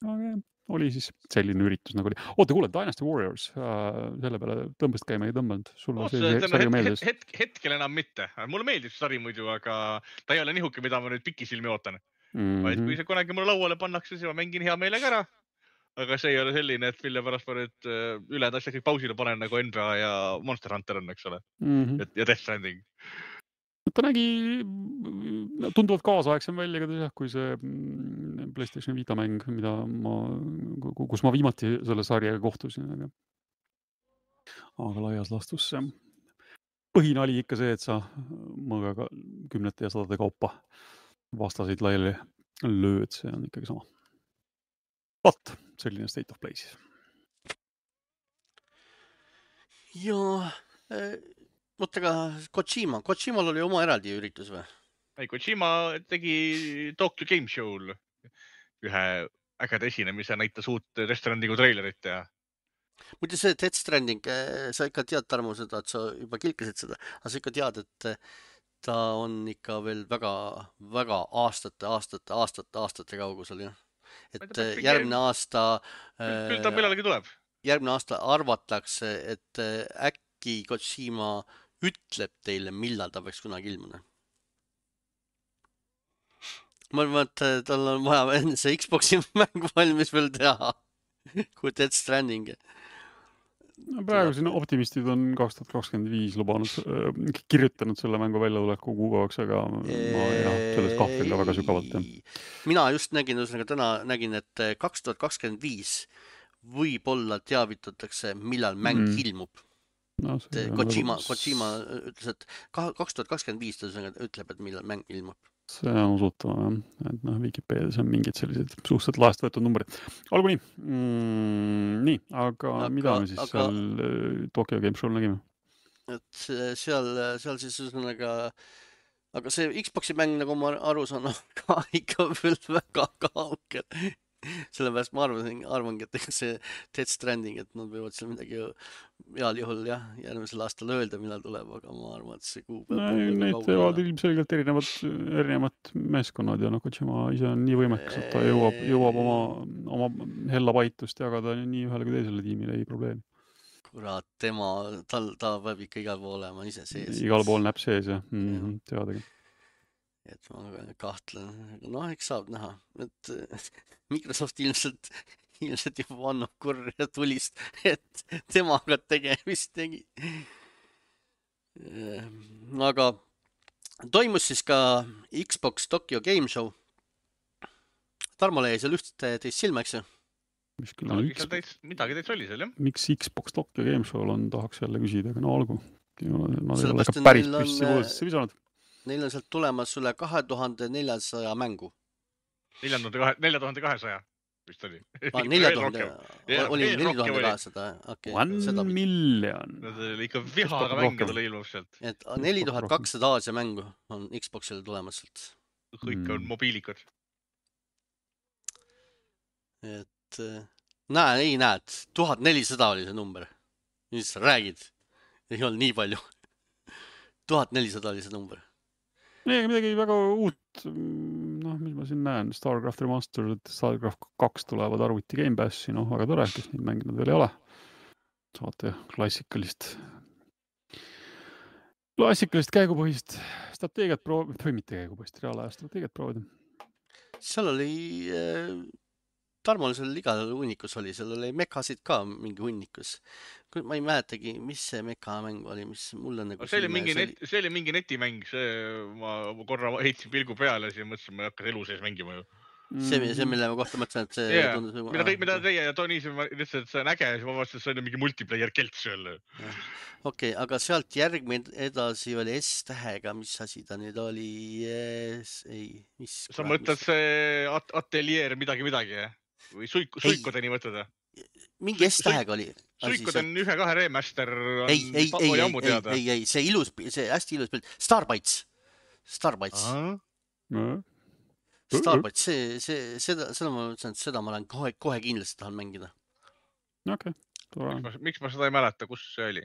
Aga oli siis selline üritus nagu oli. Oota, kuule, Dynasty Warriors, selle peale tõmbasid käima ei tõmbanud. Sulle see sari meeldis? Hetkel enam mitte. Mulle meeldib sari muidu, aga ta ei ole nihuke, mida ma nüüd pikisilmi ootan. Vaid kui see kunagi mulle lauale pannakse, siis ma mängin hea meelega ära. Aga see ei ole selline, et mille pärast ma nüüd üled asja kõik pausile panen nagu NBA ja Monster Hunter on, eks ole. Ja Death Stranding. Ta nägi tunduvalt kaasaegsem välja kui see PlayStation Vita mäng, kus ma viimati selle sarjaga kohtusin. Aga laias laastus see põhine oli ikka see, et sa mõõgaga 10 ja 100 kaupa vastasid laiali lööd, see on ikkagi sama. Vaat, selline state of play siis. Ja... Mõttega Kojimal oli oma eraldi üritus või? Ei, Kojima tegi Tokyo Game Show'l ühe ägeda esinemise, näitas uut Death Strandingu treilerit ja... Muidu see Death Stranding, sa ikka tead, Tarmo, seda, et sa juba kilkasid seda, aga sa ikka tead, et ta on ikka veel väga aastate kaugusel, jah? Et järgmine aasta... Küll ta millalgi tuleb. Järgmine aasta arvatakse, et äkki Kojima ütleb teile, millal ta peaks kunagi ilmuna. Ma arvan, et tal on vaja enne see Xbox'i mäng valmis veel teha, kui Death Stranding. Praegu siin optimistid on 2025 lubanud, kirjutanud selle mängu väljatuleku kuupäevaks, aga ma selles kahtlen ka väga sügavalt. Mina just nägin, täna nägin, et 2025 võib-olla teavitatakse, millal mäng ilmub. No, Kojima ütles, et 2025 ta ütleb, et millal mäng ilmub. See on usutama, et Wikipedias on mingid sellised suhteliselt laest võetud numbrid. Olgu nii. Nii, aga mida me siis seal Tokyo Game Show'l nägime? Et seal siis üsnaga... Aga see Xbox'i mäng, nagu ma aru saan, ka ikka veel väga kaugel. Sellepärast ma arvangi, et see Death Stranding, et nad võivad seal midagi heal juhul järgmisel aastal öelda, millal tuleb, aga ma arvan, et see kuupäev... Need teevad ilmselgelt erinevad meeskonnad ja Kojima ise on nii võimekas, et ta jõuab oma hella paitust jagada nii ühele kui teisele tiimile, ei probleemi. Kurat, ta peab ikka igal pool olema ise sees. Igal pool näeb sees, jah. Teadagi. Et ma kahtlen, noh, eks saab näha, et Microsoft ilmselt juba annab kurja tulist, et temaga tegemist tegi. Aga toimus siis ka Xbox Tokyo Game Show. Tarmo jäi seal üht teist silma, eks ju? Midagi teist oli seal, jah? Miks Xbox Tokyo Game Show'l on, tahaks jälle küsida, aga no olgu. Nad ei ole ka päris püssi võõsesse visanud. Neil on sealt tulemas üle 2400 mängu. 4200 vist oli. 4000, oli 4200, okei. 1 million. Nad oli ikka vihaga mänge tule ilmub sealt. Et 4200 Aasia mängu on Xboxile tulemas sealt. Kõik on mobiilikad. Et näed, 1400 oli see number. Mis sa räägid? Ei olnud nii palju. 1400 oli see number. Midagi väga uut, mis ma siin näen, StarCraft Remastered, StarCraft 2 tulevad arvuti Game Passi, väga tore, kes neid mänginud veel ei ole. Saate klassikalist klassikalist käigupõhist strateegiat või mitte käigupõhist, reaalaja strateegiat proovida. seal oli Tarmol seal igal hunnikus oli, seal oli mekasid ka mingi hunnikus. Ma ei mäletagi, mis see mekamäng oli, mis mulle nagu see oli mingi netimäng, ma korra heitsin pilgu peale ja siis mõtlesin, ma ei hakka elu sees mängima ju. See, mille ma kohta mõtlesin, et see tundus nagu... Mida teie ja Toni ütlesid, et see on äge ja siis ma vaatasin, et see on mingi multiplayer kelts jälle. Okei, aga sealt järgmine edasi oli S-tähega, mis asi ta nüüd oli? Sa mõtled see ateljeer midagi, või suikudeni mõtled? Mingi S-tähega oli. Suikud on 1-2 remaster. Ei, see ilus, see hästi ilus pilt. Starbites. Starbites, seda ma mõtlesin, et seda ma olen kohe kindlasti tahan mängida. Okei. Miks ma seda ei mäleta, kus see oli?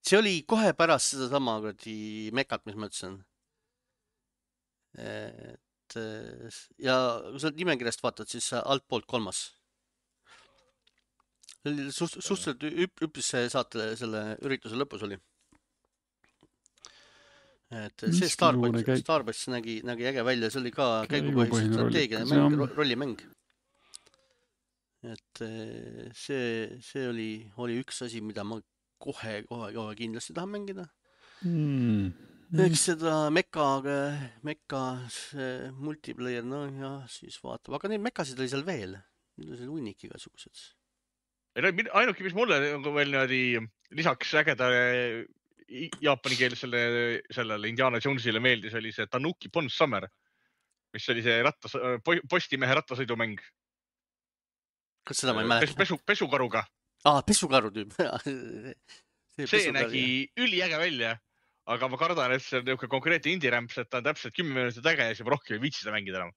See oli kohe pärast seda sama mekat, mis ma ütlesin. Ja kui sa nimekirjast vaatad, siis altpoolt 3. Suhteliselt üpris saate selle ürituse lõpus oli. Et see Starbucks nägi äge välja, see oli ka käigupõhise strateegia mäng, rollimäng. Et see oli üks asi, mida ma kohe kindlasti tahan mängida. Eks seda meka multiplayer, no ja siis vaatab. Aga neid mekasid oli seal veel. Need oli hunnik igasugused. Ainuke, mis mulle veel niimoodi lisaks ägedale jaapani keeles sellele Indiana Jonesile meeldis, oli see Tanuki Pond Summer, mis oli see postimehe rattasõidumäng. Kas seda ma ei mäleta? Pesukaruga. Pesukaru tüüp. See nägi üliäge välja, aga ma kardan, et see on niisugune konkreetne indie-rämps, et ta on täpselt 10 minutit äge ja siis ma rohkem ei viitsi seda mängida enam.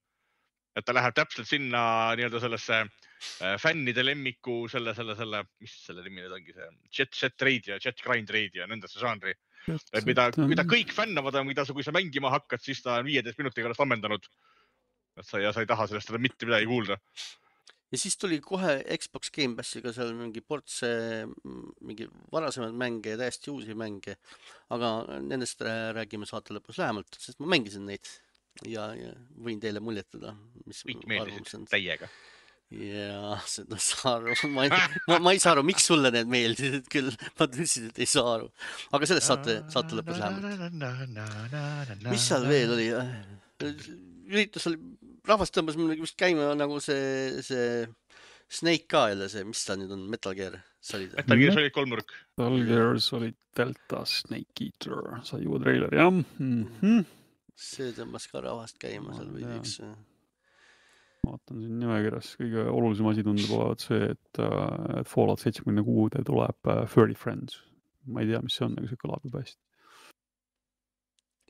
Et ta läheb täpselt sinna nii-öelda sellesse fännide lemmiku, mis selle nimi nüüd ongi see Jet Raid ja Jet Grind Raid ja nendesse žanri. Mida kõik fännavad, kui sa mängima hakkad, siis ta on 15 minutiga ennast ammendanud. Ja sa ei taha sellest mitte midagi kuulda. Ja siis tuli kohe Xbox Game Passiga seal mingi ports mingi varasemad mänge ja täiesti uusi mänge. Aga nendest räägime saate lõpus lähemalt, sest ma mängisin neid. Ja võin teile muljetada, mis kõik meeldisid täiega. Ja seda saa aru. Ma ei saa aru, miks sulle need meeldisid küll. Ma tõsiselt ei saa aru. Aga sellest saate lõpus lähemalt. Mis seal veel oli? Üritus oli, rahvast tõmbas vist käima nagu see Snake ka jälle see, mis ta nüüd on, Metal Gear Solid. Metal Gear Solid 3 nurk. Metal Gear Solid Delta Snake Eater, sai uue treiler, jah. See tõmbas ka rahvast käima seal või üks. Vaatan siin nimekirjas, kõige olulisem asi tundub olevat see, et Fallout 76 tuleb Furry Friends. Ma ei tea, mis see on, aga see kõlab juba hästi.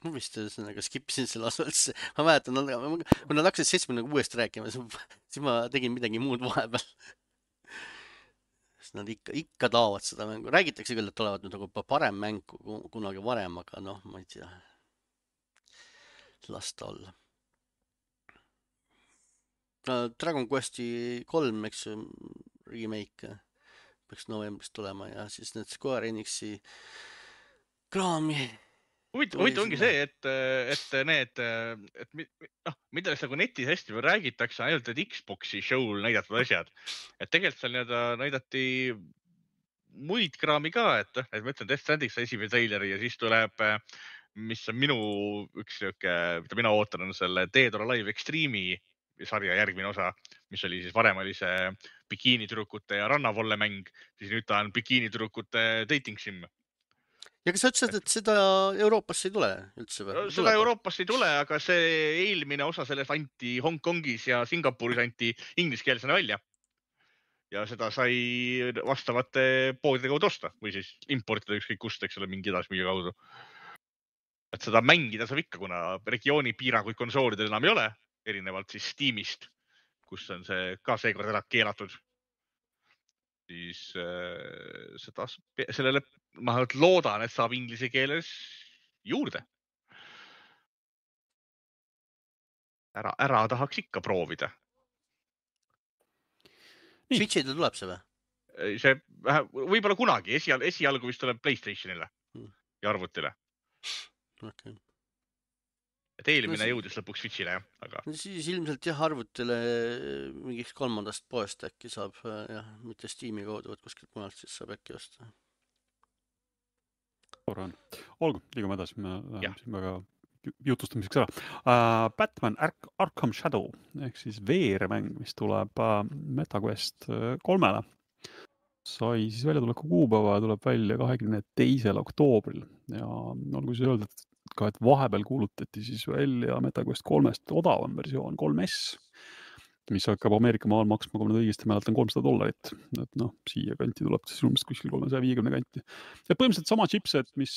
Ma vist skippisin selle osa üldse. Ma mäletan, kui nad hakkasid 76 rääkima, siis ma tegin midagi muud vahepeal. Nad ikka taovad seda mängu. Räägitakse küll, et tulevad nüüd nagu parem mäng kunagi varem, aga ma ei tea. Lasta olla. Dragon Questi 3, eks remake peaks novembris tulema ja siis need Square Enixi kraami. Huvitav ongi see, et mida nagu netis hästi räägitakse ainult, et Xboxi show'l näidatud asjad. Et tegelikult seal näidati muid kraami ka, et ma ütlen Death Stranding sai esimene traileri ja siis tuleb, mis on minu üks siuke, mida mina ootan, on selle Dead or Alive Extreme'i sarja järgmine osa, mis oli siis varem oli see bikiinitüdrukute ja rannavolle mäng, siis nüüd ta on bikiinitüdrukute dating sim. Ja kas sa ütlesid, et seda Euroopasse ei tule üldse või? Seda Euroopasse ei tule, aga see eelmine osa sellest anti Hongkongis ja Singapuris anti ingliskeelsena välja. Ja seda sai vastavate poodide kaudu osta või siis importida ükskõik kust, eks ole, mingi edasmüüja kaudu. Et seda mängida saab ikka, kuna regiooni piiranguid konsoolidel enam ei ole, erinevalt siis Steamist, kus on see ka seekord ära keelatud. Siis sellele ma loodan, et saab inglise keeles juurde. Ära tahaks ikka proovida. Switch'ile tuleb see või? See võib-olla kunagi, esialgu vist tuleb PlayStationile ja arvutile. Okay. Et eelmine jõudis lõpuks Switchile, jah, aga Siis ilmselt jah, arvutile mingiks 3. poest äkki saab, jah, mitte Steam'i kaudu, võt kuskilt mujalt siis saab äkki osta. Tore on. Olgu, liigume edasi, me läheme siin väga jutustamiseks ära. Batman Arkham Shadow ehk siis VR-mäng, mis tuleb MetaQuest 3-le. Sai siis väljatuleku kuupäeva ja tuleb välja 22. oktoobril ja olgu siis öelda, ka, et vahepeal kuulutati siis välja MetaQuest 3-st odavam versioon 3S, mis hakkab Ameerika maal maksma, kui ma nüüd õigesti mäletan, $300. Et noh, siia kanti tuleb siis umbes kuskil 350 kanti. Ja põhimõtteliselt sama chipset, mis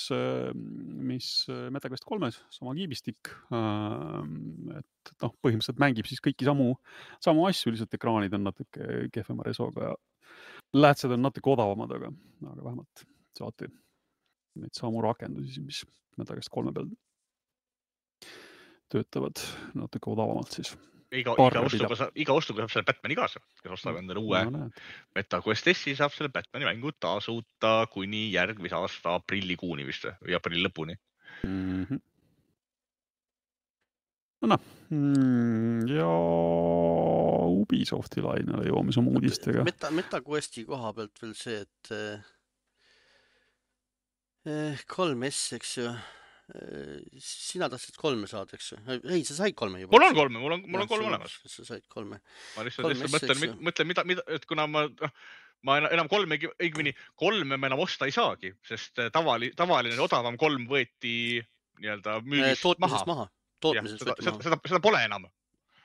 MetaQuest 3-s, sama kiibistik. Et noh, põhimõtteliselt mängib siis kõiki samu asju, lihtsalt ekraanid on natuke kehvema resoga ja lähtsed on natuke odavamad, aga vähemalt saate neid samu rakendusi, mis MetaQuest 3 peal töötavad natuke odavamalt siis. Iga ostuga saab selle Batmani kaasa, kes ostab endale uue MetaQuest S-i, saab selle Batmani mängu tasuta kuni järgmise aasta aprillikuuni vist või aprilli lõpuni. Ja Ubisofti lainele jõuame oma uudistega. MetaQuesti koha pealt veel see, et 3S, eks ju, sina tahtsid 3 saada, eks ju? Ei, sa said 3 juba. Mul on 3, mul on 3 olemas. Sa said 3. Ma lihtsalt mõtlen, et kuna ma enam 3 enam osta ei saagi, sest tavaline odavam 3 võeti nii-öelda müügist maha. Seda pole enam.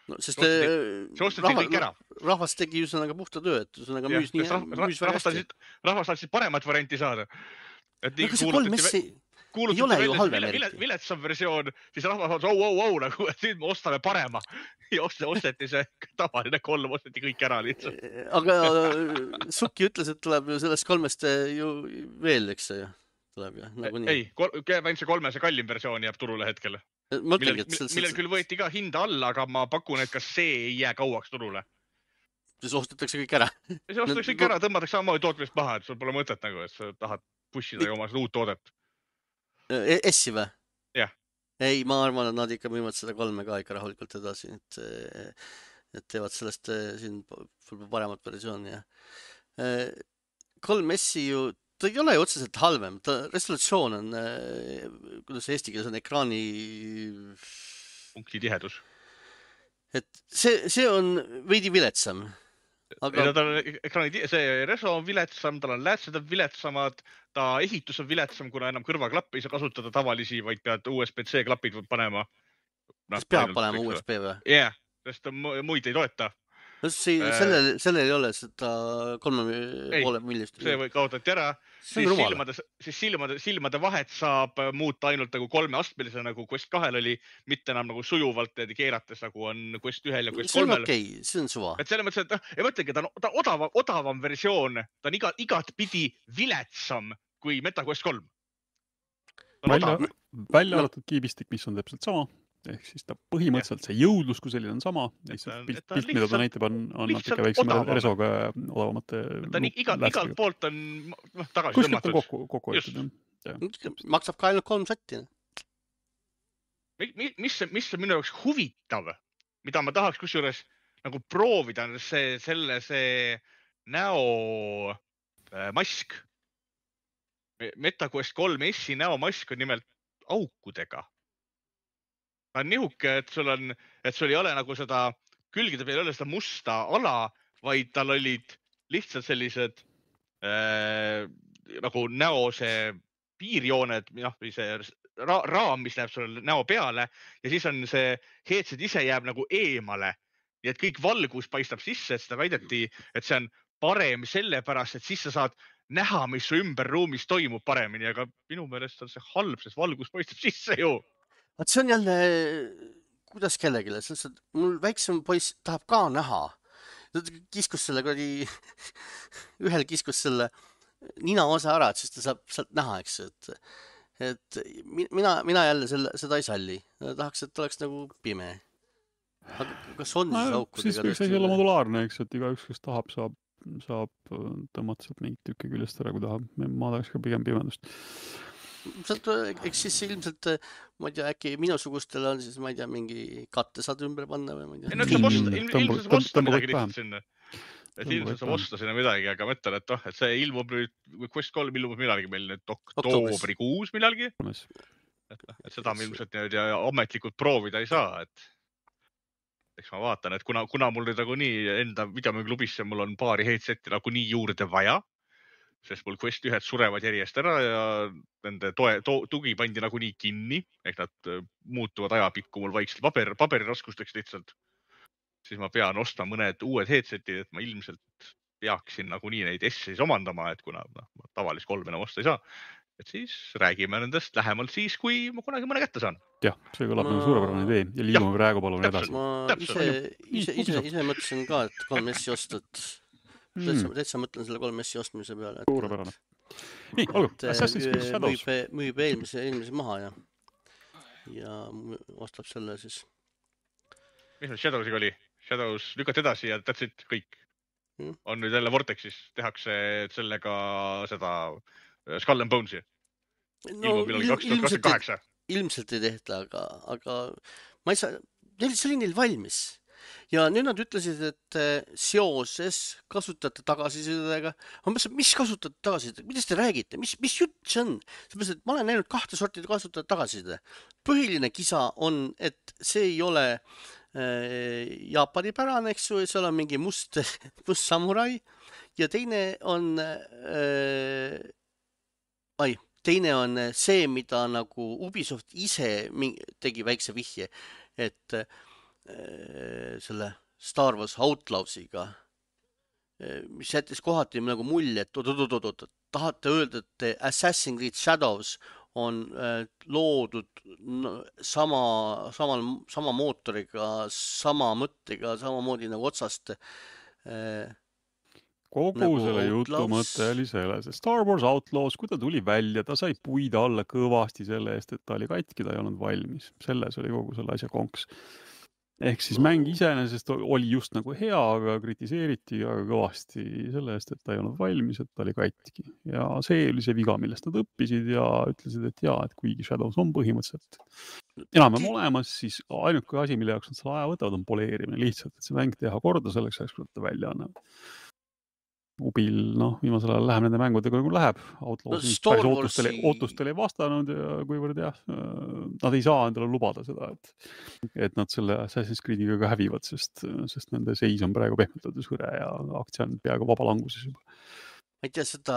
No, sest see ostati kõik ära. Rahvas tegi üsõnaga puhta töö, et üsõnaga müüs väga hästi. Rahvas tahtsid paremat varianti saada. Aga see 3S ei ole ju halvem eriti. Viletsam versioon, siis rahvas on nagu, et nüüd me ostame parema. Ja osteti see tavaline 3, osteti kõik ära lihtsalt. Aga Suki ütles, et tuleb ju sellest 3-st ju veel, eks see ju tuleb ju. Ei, ainult see 3 kallim versioon jääb turule hetkel. Millel küll võeti ka hinda alla, aga ma pakun, et kas see ei jää kauaks turule. Siis ostetakse kõik ära. Siis ostetakse kõik ära, tõmmatakse samamoodi tootmist maha, et sul pole mõtet nagu, et sa tahad pushida oma uut toodet. S-i või? Jah. Ei, ma arvan, et nad ikka müüvad seda 3 ka ikka rahulikult edasi, et teevad sellest siin paremat versiooni. 3S-i ju, ta ei ole ju otseselt halvem, ta resolutsioon on, kuidas eesti keeles on ekraani punkti tihedus. Et see on veidi viletsam. Aga see reso on viletsam, tal on läätsed on viletsamad, ta ehitus on viletsam, kuna enam kõrvaklappi ei saa kasutada tavalisi, vaid pead USB-C klapid panema. Kas peab panema USB või? Jah, sest muid ei toeta. Sellel ei ole seda 3,5 millist. See või kaotati ära. Siis silmade vahet saab muuta ainult nagu 3-astmelise, nagu Quest 2 oli, mitte enam nagu sujuvalt keerates, nagu on Quest 1 ja Quest 3. See on okei, see on suva. Et selle mõttes, et ei mõtlegi, ta on odavam versioon, ta on igat pidi viletsam kui MetaQuest 3. Välja arvatud kiibistik, mis on täpselt sama. Ehk siis ta põhimõtteliselt see jõudlus, kui selline on sama. Pilt, mida ta näitab, on natuke väiksema resoga odavamate. Ta on igalt poolt on tagasi tõmmatud. Kuskilt on kokku võetud. Maksab ka ainult 3 sotti. Mis on minu jaoks huvitav, mida ma tahaks kusjuures nagu proovida, see näo mask. MetaQuest 3 S-i näo mask on nimelt aukudega. Ta on nihuke, et sul ei ole nagu seda, külgide peal ei ole seda musta ala, vaid tal olid lihtsalt sellised nagu näo see piirjooned, või see raam, mis läheb sulle näo peale ja siis on see headset ise jääb nagu eemale. Nii et kõik valgus paistab sisse, et seda väideti, et see on parem sellepärast, et siis sa saad näha, mis su ümber ruumis toimub paremini, aga minu meelest on see halb, sest valgus paistab sisse ju. Vaat see on jälle, kuidas kellegile, mul väiksem poiss tahab ka näha. Kiskus selle ühel kiskus selle nina osa ära, et siis ta saab sealt näha, eks. Et mina jälle seda ei salli. Tahaks, et oleks nagu pime. Aga kas on siis aukudega? Siis võiks see olla modulaarne, eks, et igaüks, kes tahab, saab tõmmata sealt mingit tükki küljest ära, kui tahab. Ma tahaks ka pigem pimendust. eks siis ilmselt, ma ei tea, äkki minusugustel on siis, ma ei tea, mingi katte saad ümber panna või ma ei ei no tea. eks ilmselt saab osta midagi lihtsalt sinna. Et ilmselt saab osta sinna midagi, aga ma ütlen, et see ilmub nüüd, Quest 3 ilmub millalgi meil nüüd oktoobrikuus millalgi. Et seda me ilmselt ametlikult proovida ei saa, et eks ma vaatan, et kuna mul nüüd nagu nii enda videomüügiklubisse mul on paari headseti nagu nii juurde vaja, sest mul Quest 1 surevad järjest ära ja nende tugi pandi nagu nii kinni, ehk nad muutuvad ajapikku mul vaikselt paberiraskusteks lihtsalt, siis ma pean ostma mõned uued headsetid, et ma ilmselt peaksin nagu nii neid S-is omandama, et kuna ma tavalist 3 enam osta ei saa, et siis räägime nendest lähemalt siis, kui ma kunagi mõne kätte saan. Jah, see kõlab nagu suurepärane idee ja liigume praegu palun edasi. Ma ise mõtlesin ka, et 3S-i ostud. Täitsa mõtlen selle 3S-i ostmise peale. Suurepärane. Nii, olgu, Assassin's Creed Shadows. Müüb eelmise maha ja ostab selle siis. Mis nüüd Shadowsiga oli? Shadows lükati edasi ja that's it, kõik. On nüüd jälle Vortexis, tehakse sellega seda Skull and Bones'i. Ilmub millalgi 2028. Ilmselt ei tehta, aga ma ei saa, see oli neil valmis. Ja nüüd nad ütlesid, et seoses kasutajate tagasisidega, mis kasutajate tagasiside, mida te räägite, mis jutt see on? Seepärast, et ma olen näinud 2 sorti kasutajate tagasiside. Põhiline kisa on, et see ei ole Jaapani pärane, eks ju, seal on mingi must samurai ja teine on see, mida nagu Ubisoft ise tegi väikse vihje, et selle Star Wars Outlawsiga, mis jättis kohati nagu mulje, et tahate öelda, et Assassin's Creed Shadows on loodud sama mootoriga, sama mõttega, samamoodi nagu otsast kogu nagu selle jutu mõte oli selles, et Star Wars Outlaws, kui ta tuli välja, ta sai puida alla kõvasti selle eest, et ta oli katki, ta ei olnud valmis. Selles oli kogu selle asja konks. Ehk siis mäng iseenesest oli just nagu hea, aga kritiseeriti aga kõvasti selle eest, et ta ei olnud valmis, et ta oli katki. Ja see oli see viga, millest nad õppisid ja ütlesid, et jaa, et kuigi Shadows on põhimõtteliselt enam olemas, siis ainuke asi, mille jaoks nad selle aja võtavad, on poleerimine lihtsalt, et see mäng teha korda selleks, kui ta välja annavad. Ubil, viimasel ajal läheb nende mängudega nagu läheb. Outlaws päris ootustele ei vastanud ja kuivõrd nad ei saa endale lubada seda, et nad selle Assassin's Creediga ka hävivad, sest nende seis on praegu pehmetades hõre ja aktsia on peaaegu vabalanguses juba. Ma ei tea, seda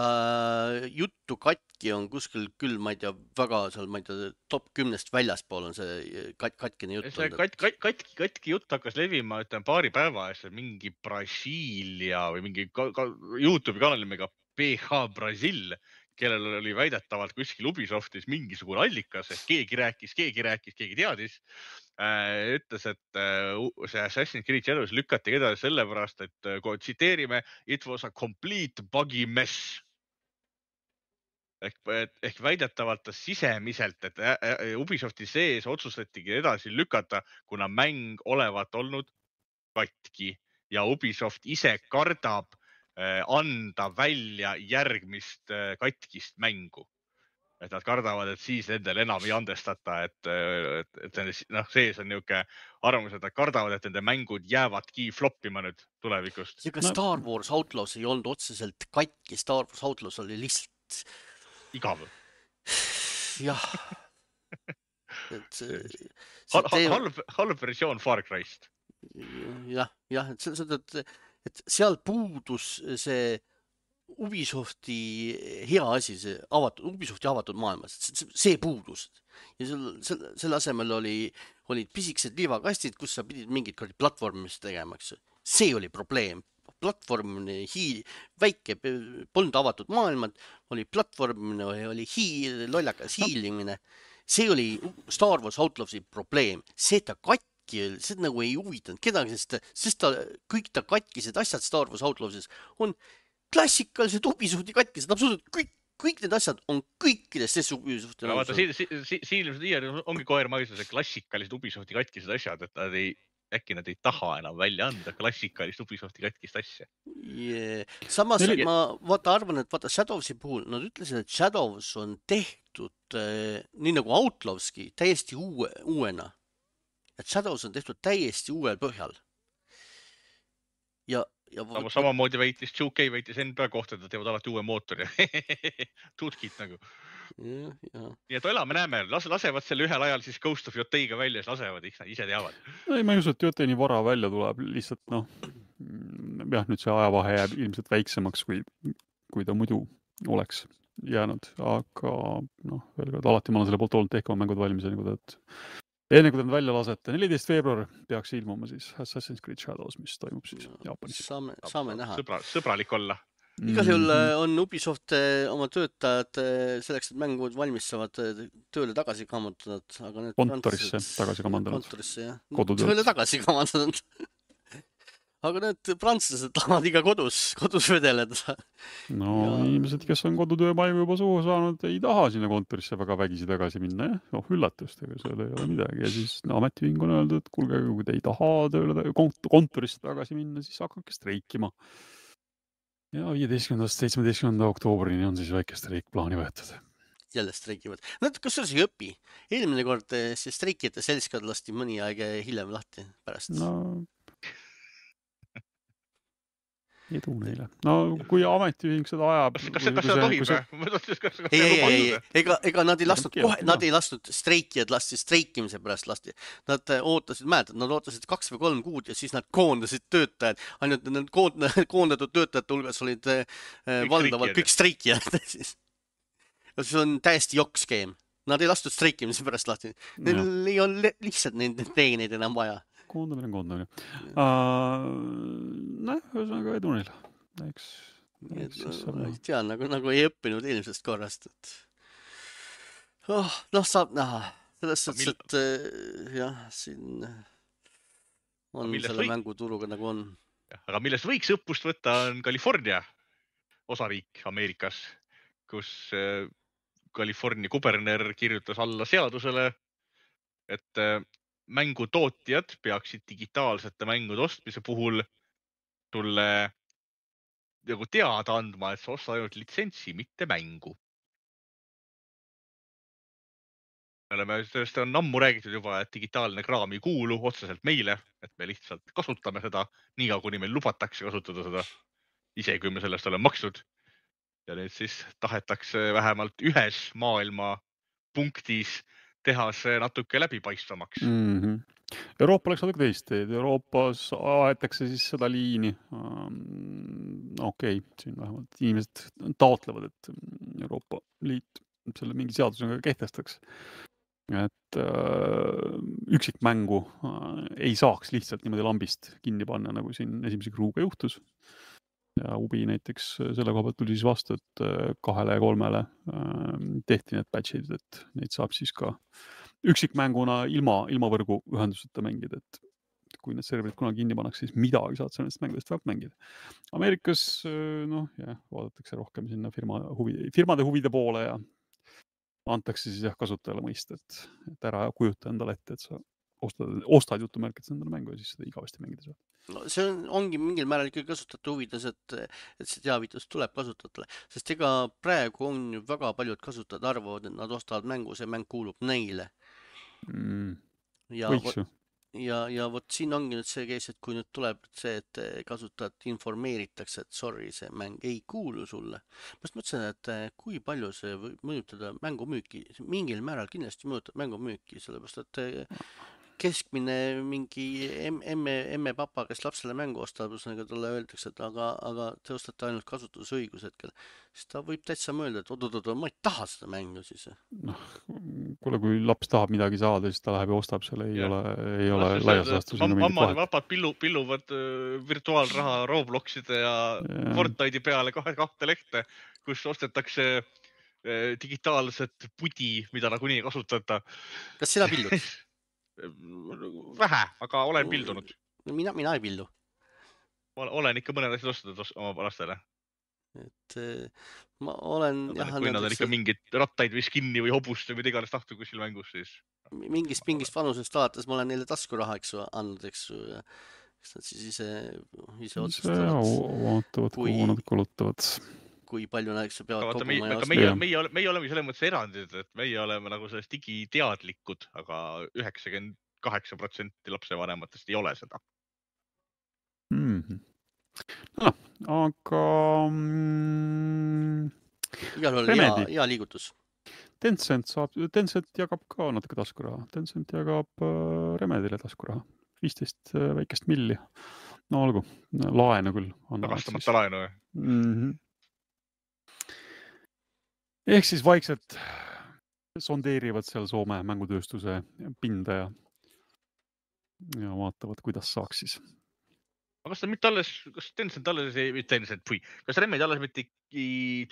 juttu katki on kuskil küll, ma ei tea, väga seal, ma ei tea, top 10 väljaspool on see katkine jutt. Katki jutt hakkas levima, ütlen paari päeva eest mingi Brasiilia või mingi YouTube'i kanali nimega PH Brasil, kellel oli väidetavalt kuskil Ubisoftis mingisugune allikas, et keegi rääkis, keegi teadis. Ütles, et see Assassin's Creed Shadows lükati edasi sellepärast, et kui tsiteerime, it was a complete buggy mess. Ehk väidetavalt sisemiselt, et Ubisofti sees otsustatigi edasi lükata, kuna mäng olevat olnud katki ja Ubisoft ise kardab anda välja järgmist katkist mängu. Et nad kardavad, et siis nendel enam ei andestata, et sees on niuke arvamus, et nad kardavad, et nende mängud jäävadki floppima nüüd tulevikust. Star Wars Outlaws ei olnud otseselt katki, Star Wars Outlaws oli lihtsalt igav. Jah. Halb versioon Far Cry'st. Jah, et seal puudus see Ubisofti hea asi, see Ubisofti avatud maailmas, see puudus. Ja selle asemel olid pisikesed liivakastid, kus sa pidid mingid platvormist tegema, eks. See oli probleem. Platvormine, väike, polnud avatud maailmad, oli platvormine, oli lollakas hiilimine. See oli Star Wars Outlawsi probleem. See ta katki, see nagu ei huvitanud kedagi, sest kõik ta katkised asjad Star Wars Outlawsis on klassikalised Ubisofti katkised, absoluutselt kõik need asjad on kõikidest Ubisofti. Vaata, siin ongi koermaisus, et klassikalised Ubisofti katkised asjad, et äkki nad ei taha enam välja anda klassikalist Ubisofti katkist asja. Samas ma arvan, et Shadowsi puhul nad ütlesid, et Shadows on tehtud tehtud nii nagu Outlawski täiesti uuena. Et Shadows on tehtud täiesti uuel põhjal. Ja samamoodi väitis 2K väitis NBA kohta, et nad teevad alati uue mootori. Tutkid nagu. Nii et elame näeme, lasevad selle ühel ajal siis Ghost of Yoteiga välja, siis lasevad, ise teavad. Ei, ma ei usu, et Yotei nii vara välja tuleb, lihtsalt jah, nüüd see ajavahe jääb ilmselt väiksemaks, kui ta muidu oleks jäänud, aga veel kord, alati ma olen selle poolt olnud tehkama mängud valmis, enne kui ta välja lasete. 14. veebruar peaks ilmuma siis Assassin's Creed Shadows, mis toimub siis Jaapanis. Saame näha. Sõbralik olla. Igal juhul on Ubisoft oma töötajad selleks, et mängud valmistavad tööle tagasi kamandanud. Kontorisse tagasi kamandanud. Kontorisse, jah. Tööle tagasi kamandanud. Aga need prantslased tahavad iga kodus vedeleda. Inimesed, kes on kodutöömaigu juba suhu saanud, ei taha sinna kontorisse väga vägisi tagasi minna, jah. Üllatust, ega seal ei ole midagi. Ja siis ametiühing on öeldud, et kuulge, kui te ei taha kontorisse tagasi minna, siis hakake streikima. Ja 15. 17. oktoobrini on siis väike streik plaani võetud. Jälle streikivad. Kas see ei õpi? Eelmine kord see streikijate seltskond lasti mõni aeg hiljem lahti pärast. Edu neile. Kui ametiühing seda ajab... Kas seda tohib? Ega nad ei lastud kohe, nad ei lastud streikijad lasti streikimise pärast lasti. Nad ootasid 2 või 3 kuud ja siis nad koondasid töötajad. Ainult need koondatud töötajate hulgas olid valdavalt kõik streikijad. See on täiesti jokkskeem. Nad ei lastud streikimise pärast lahti. Neil ei ole lihtsalt neid teeneid enam vaja. Koondamine. Ühesõnaga edu neil. Ei tea, nagu ei õppinud eelmisest korrast. Saab näha. Selles suhtes, et jah, siin on selle mänguturuga nagu on. Aga millest võiks õppust võtta on California osariik Ameerikas, kus California kuberner kirjutas alla seadusele, et mängutootjad peaksid digitaalsete mängude ostmise puhul tulle nagu teada andma, et sa osta ainult litsentsi, mitte mängu. Sellest on ammu räägitud juba, et digitaalne kraam ei kuulu otseselt meile, et me lihtsalt kasutame seda nii kuni meil lubatakse kasutada seda, ise kui me sellest oleme maksnud. Ja nüüd siis tahetakse vähemalt ühes maailma punktis teha see natuke läbipaistvamaks. Euroopa läks natuke teist teed. Euroopas aetakse siis seda liini. Siin vähemalt inimesed taotlevad, et Euroopa Liit selle mingi seadusega kehtestaks. Et üksikmängu ei saaks lihtsalt niimoodi lambist kinni panna, nagu siin esimese Kruuga juhtus. Ja Ubi näiteks selle koha pealt tuli siis vastu, et 2 ja 3 tehti need patchid, et neid saab siis ka üksikmänguna ilma võrgu ühenduseta mängida, et kui need serverid kunagi kinni pannakse, siis midagi saad sa nendest mängudest väga mängida. Ameerikas, vaadatakse rohkem sinna firmade huvide poole ja antakse siis kasutajale mõista, et ära kujuta endale ette, et sa ostad jutumärkid endale mängu ja siis seda igavesti mängida saad. See ongi mingil määral ikkagi kasutajate huvides, et see teavitus tuleb kasutajatele, sest ega praegu on ju väga paljud kasutajad arvavad, et nad ostavad mängu, see mäng kuulub neile. Ja vot siin ongi nüüd see kees, et kui nüüd tuleb see, et kasutajad informeeritakse, et sorry, see mäng ei kuulu sulle. Ma mõtlesin, et kui palju see võib mõjutada mängumüüki, mingil määral kindlasti mõjutab mängumüüki, sellepärast, et keskmine mingi emme papa, kes lapsele mängu ostab, talle öeldakse, et aga te ostate ainult kasutusõigus hetkel. Siis ta võib täitsa mõelda, et ma ei taha seda mängu siis. Kuule, kui laps tahab midagi saada, siis ta läheb ja ostab selle, ei ole laias laastus. Mammad ja vapad pilluvad virtuaalraha Robloxide ja Fortnite'i peale 2 lehte, kus ostetakse digitaalset pudi, mida nagunii ei kasutata. Kas sina pillud? Vähe, aga olen pildunud. Mina ei pildu. Olen ikka mõned asjad ostnud oma lastele. Et ma olen... Kui nad on ikka mingid rattaid või skinni või hobust või mida iganes tahtu kuskil mängus, siis... Mingist vanusest alates ma olen neile taskuraha andnud, eks ju. Eks nad siis ise otsustavad. Vaatavad, kuhu nad kulutavad. kui palju näiteks sa peavad Aga vaata, koguma ja aga meie oleme selles mõttes erandid, et meie oleme nagu sellest digiteadlikud, aga 98% lapsevanematest ei ole seda. No, aga igal juhul hea liigutus. Tencent jagab ka natuke taskuraha. Tencent jagab Remedile taskuraha. 15 väikest milli. No olgu, laenu küll. Tagastamata laenu. Ehk siis vaikselt sondeerivad seal Soome mängutööstuse pinda ja vaatavad, kuidas saaks siis. Aga kas ta mitte alles, kas Tencent alles kas Remedi alles mitte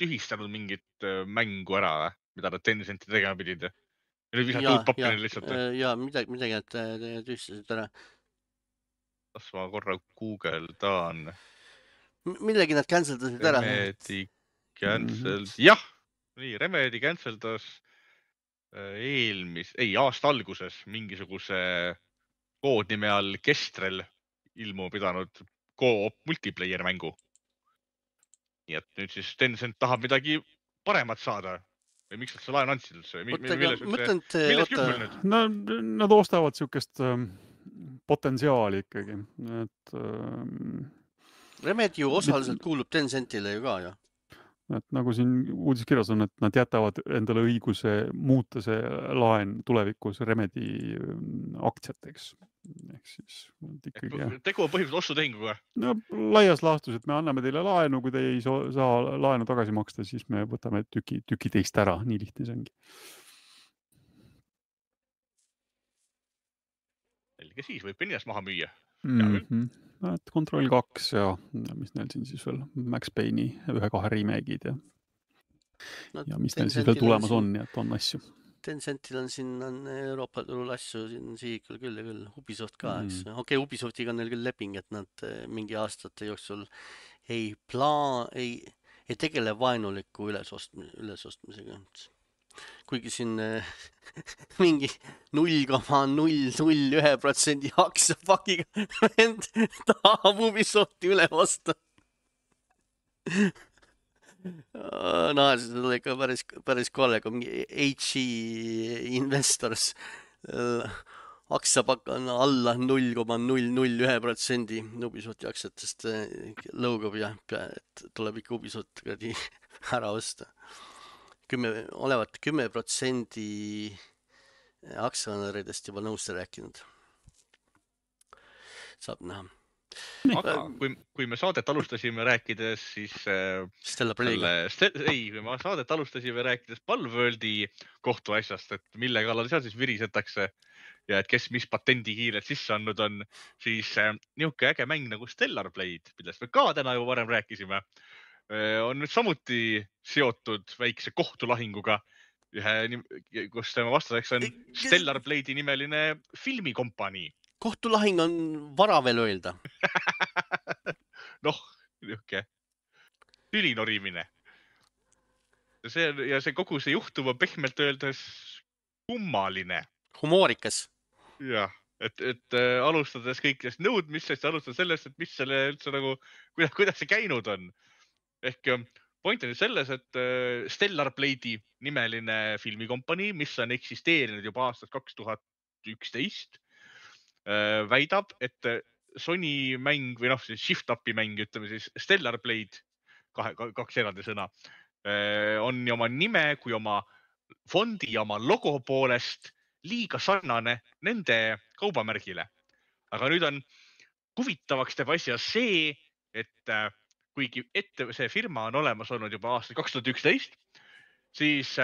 tühistanud mingit mängu ära, mida nad Tencenti tegema pidid? Ja nüüd visati uut pappi lihtsalt. Ja midagi nad tühistasid ära. Kas ma korra Google'dan? Millegi nad canceldasid ära. Remedi cancelled. Jah, nii, Remedi canceldas aasta alguses mingisuguse koodnime all Kestrel ilmu pidanud co-op multiplayer mängu. Nii et nüüd siis Tencent tahab midagi paremat saada. Või miks nad see laen andsid üldse? Milles kümmel nüüd? No, nad ostavad siukest potentsiaali ikkagi. Remedi ju osaliselt kuulub Tencentile ju ka, jah. Et nagu siin uudiskirjas on, et nad jätavad endale õiguse muuta see laen tulevikus Remedi aktsiateks. Ehk siis ikkagi... Tegu on põhimõtteliselt ostutehinguga. No, laias laastus, et me anname teile laenu, kui te ei saa laenu tagasi maksta, siis me võtame tüki teist ära. Nii lihtne see ongi. Selge siis, võib ennast maha müüa. Et Control 2 ja mis neil siin siis veel Max Payne'i 1-2 remake'id ja mis neil siis veel tulemas on, nii et on asju. Tencentil on siin Euroopa turul asju siin sihikul küll ja küll. Ubisoft ka, eks. Okei, Ubisoftiga on neil küll leping, et nad mingi aastate jooksul ei tegele vaenuliku ülesostmisega. Kuigi siin mingi 0,001% aktsiapakiga vend tahab Ubisofti üle osta. No, see oli ikka päris kolle, kui mingi HE Investors aktsiapakk on alla 0,001% Ubisofti aktsiatest lõugab ja tuleb ikka Ubisoft ära osta. Olevat 10% aktsionäridest juba nõusse rääkinud. Saab näha. Aga kui me saadet alustasime rääkides, siis kui me saadet alustasime rääkides Palworldi kohtuasjast, et mille kallal seal siis virisetakse ja et kes mis patendi kiired sisse andnud on, siis niuke äge mäng nagu Stellar Blade, millest me ka täna juba varem rääkisime, on nüüd samuti seotud väikse kohtulahinguga, kus tema vastaseks on Stellar Blade'i nimeline filmikompanii. Kohtulahing on vara veel öelda. Noh, niuke tülinorimine. Ja see kogu see juhtum on pehmelt öeldes kummaline. Humoorikas. Jah, et alustades kõikidest nõudmistest ja alustades sellest, et mis selle üldse nagu, kuidas see käinud on. Ehk point on selles, et Stellar Blade'i nimeline filmikompanii, mis on eksisteerinud juba aastast 2011, väidab, et Sony mäng või Shift-Upi mäng, ütleme siis Stellar Blade, kaks eraldi sõna, on nii oma nime kui oma fondi ja oma logo poolest liiga sarnane nende kaubamärgile. Aga nüüd on huvitavaks teeb asja see, et kuigi see firma on olemas olnud juba aastal 2011, siis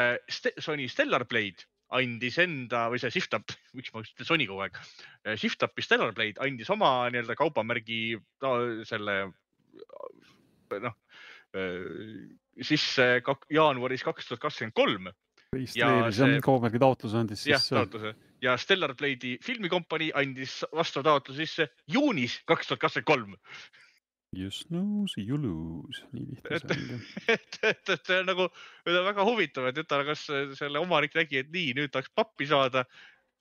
Sony Stellar Blade andis enda, või see Shift-Up, miks ma ütlen Sony kogu aeg, Shift-Upi Stellar Blade andis oma nii-öelda kaubamärgi selle, sisse jaanuaris 2023. Kaubamärgi taotluse andis sisse. Jah, taotluse. Ja Stellar Blade'i filmikompanii andis vastav taotluse sisse juunis 2023. You snooze, you lose. Nii lihtne see on. Et see on nagu väga huvitav, et kas selle omanik nägi, et nii, nüüd tahaks pappi saada,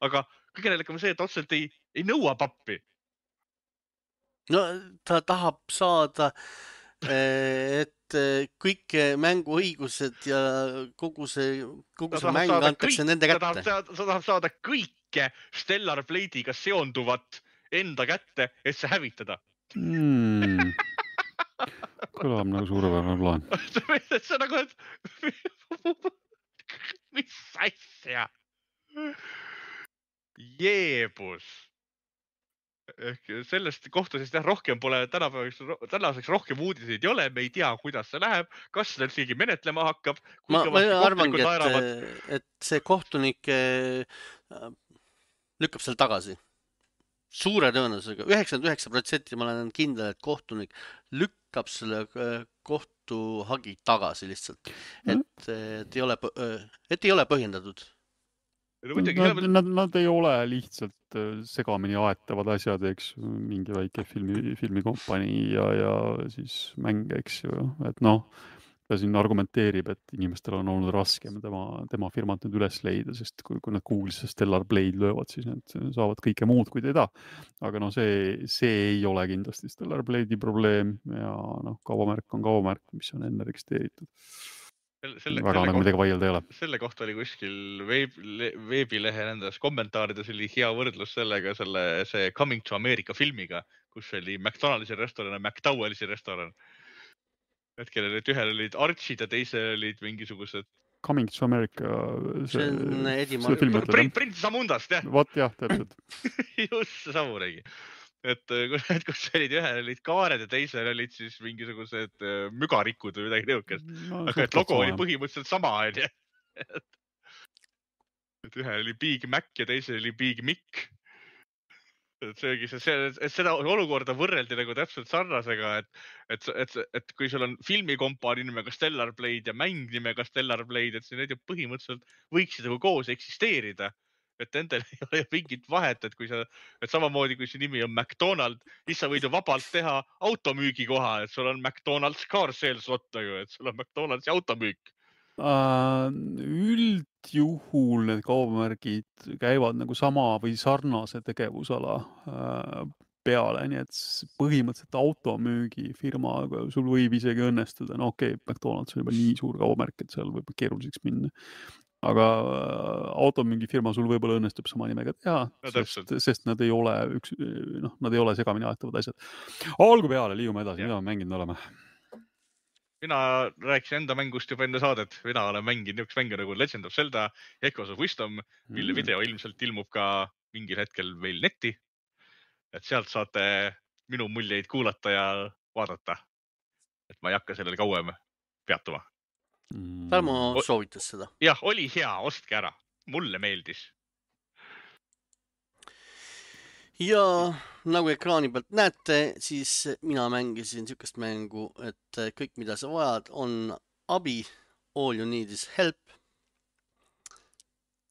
aga kõige näilikam see, et otseselt ei nõua pappi. No ta tahab saada et kõik mänguõigused ja kogu see mäng antakse nende kätte. Ta tahab saada kõike Stellar Blade'iga seonduvat enda kätte, et see hävitada. Kõlab nagu suurepärane plaan. See on nagu, et mis asja? Jeebus. Sellest kohtusest rohkem pole tänaseks rohkem uudiseid ei ole, me ei tea, kuidas see läheb, kas seda keegi menetlema hakkab. Ma arvangi, et see kohtunik lükkab seal tagasi. Suure tõenäosusega, 99% ma olen kindel, et kohtunik lükkab selle kohtuhagi tagasi lihtsalt, et ei ole põhjendatud. Nad ei ole lihtsalt segamini aetavad asjad, eks, mingi väike filmikompanii ja siis mäng, eks ju, et ta siin argumenteerib, et inimestel on olnud raskem tema firmat nüüd üles leida, sest kui nad Google'isse Stellar Blade löövad, siis need saavad kõike muud kui teda. Aga see ei ole kindlasti Stellar Blade'i probleem ja kaubamärk on kaubamärk, mis on enne registreeritud. Väga nagu midagi vaielda ei ole. Selle kohta oli kuskil veebilehe nendes kommentaarides oli hea võrdlus sellega, see Coming to America filmiga, kus oli McDonald'si restoran ja McDowell'si restoran. Hetkel ühel olid Archid ja teisel olid mingisugused... Coming to America... See on Eddie Prints Amundast, jah. Vot jah, täpselt. Just see samuregi. Et kus olid ühel olid kaared ja teisel olid siis mingisugused mügarikud või midagi nõukest. Aga et logo oli põhimõtteliselt sama, on. Et ühel oli Big Mac ja teisel oli Big Mick. Seda olukorda võrreldi nagu täpselt sarnasega, et kui sul on filmikompaani nimega Stellar Blade ja mäng nimega Stellar Blade, et see need ju põhimõtteliselt võiksid nagu koos eksisteerida. Et endal ei ole mingit vahet, et samamoodi kui see nimi on McDonald, siis sa võid ju vabalt teha automüügi koha, et sul on McDonald's car sales lot, et sul on McDonald'si automüük. Üldjuhul need kaubamärgid käivad nagu sama või sarnase tegevusala peale, nii et põhimõtteliselt automüügifirma sul võib isegi õnnestuda. Okei, McDonald's on juba nii suur kaubamärk, et seal võib keeruliseks minna. Aga automüügifirma sul võib-olla õnnestub sama nimega teha, sest nad ei ole nad ei ole segamini aetavad asjad. Olgu peale, liigume edasi, mida me mänginud oleme? Mina rääkisin enda mängust juba enne saadet. Mina olen mänginud niisugust mängu nagu Legend of Zelda Echoes of Wisdom, mille video ilmselt ilmub ka mingil hetkel meil netti. Et sealt saate minu muljeid kuulata ja vaadata. Et ma ei hakka sellele kauem peatuma. Tarmo soovitas seda. Jah, oli hea, ostke ära. Mulle meeldis. Ja nagu ekraani pealt näete, siis mina mängisin niisugust mängu, et kõik, mida sa vajad, on abi. All you need is help.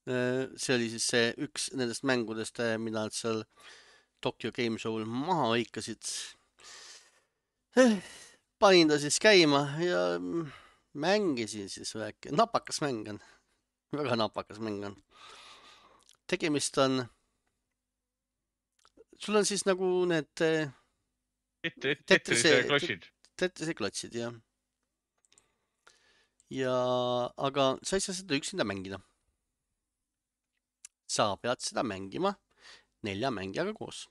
See oli siis see üks nendest mängudest, mida nad seal Tokyo Game Show'l maha hõikasid. Panin ta siis käima ja mängisin siis väike. Napakas mäng on. Väga napakas mäng on. Tegemist on... Sul on siis nagu need... Tetrise klotsid, jah. Aga sa ei saa seda üksinda mängida. Sa pead seda mängima 4 mängijaga koos.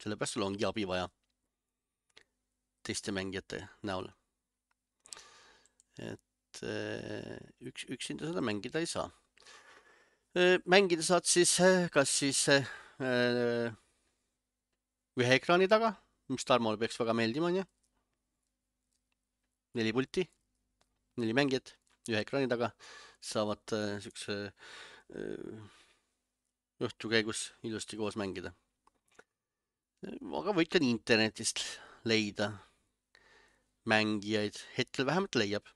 Sellepärast sul ongi abi vaja teiste mängijate näol. Et üksinda seda mängida ei saa. Mängida saad siis kas siis ühe ekraani taga, mis Tarmole peaks väga meeldima, on ju. 4 pulti, 4 mängijat, ühe ekraani taga saavad niisuguse õhtu käigus ilusti koos mängida. Aga võid ka internetist leida mängijaid, hetkel vähemalt leiab.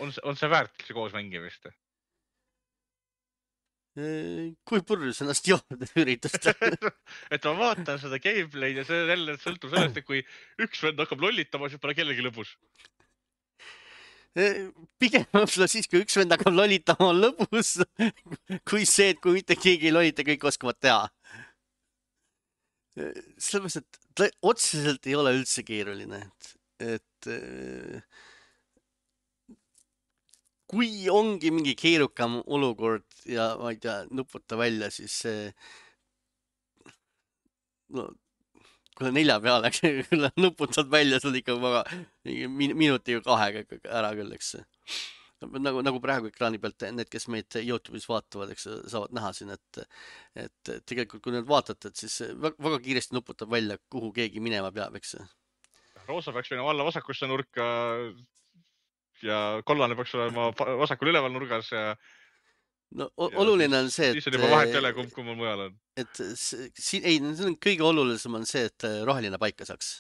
On see väärt see koos mängimist? Kui purjus ennast jooded üritust? Et ma vaatan seda gameplay'd ja see jälle sõltub sellest, et kui üks vend hakkab lollitama, siis pole kellegi lõbus. Pigem võib-olla siis, kui üks vend hakkab lollitama, on lõbus, kui see, et kui mitte keegi ei lollita, kõik oskavad teha. Sellepärast, et ta otseselt ei ole üldse keeruline, et kui ongi mingi keerukam olukord ja ma ei tea, nuputa välja, siis no, kui 4 peale, kui nuputad välja, sul ikka minutiga 2 ära küll, eks. Nagu praegu ekraani pealt need, kes meid YouTube'is vaatavad, eks saavad näha siin, et tegelikult kui nüüd vaatate, et siis väga kiiresti nuputab välja, kuhu keegi minema peab, eks. Roosa peaks minema alla vasakusse nurka ja kollane peaks olema vasakul üleval nurgas ja no oluline on see, siis on juba vahet jälle, kumb mujal on. Et siin, ei, see on kõige olulisem on see, et roheline paika saaks.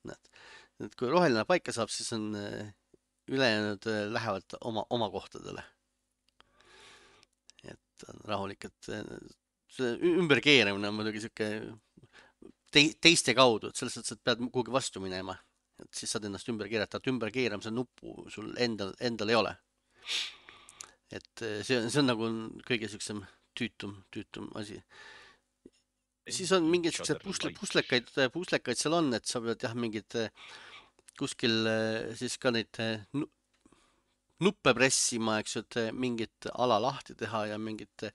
Et kui roheline paika saab, siis on ülejäänud lähevad oma kohtadele. Et on rahulik, et see ümberkeeramine on muidugi siuke teiste kaudu, et selles mõttes, et pead kuhugi vastu minema. Et siis saad ennast ümber keerata, et ümberkeeramise nuppu sul endal ei ole. Et see on nagu kõige siuksem tüütum asi. Siis on mingid siuksed puslekaid seal on, et sa pead jah mingid kuskil siis ka neid nuppe pressima, eks ju, et mingit ala lahti teha ja mingit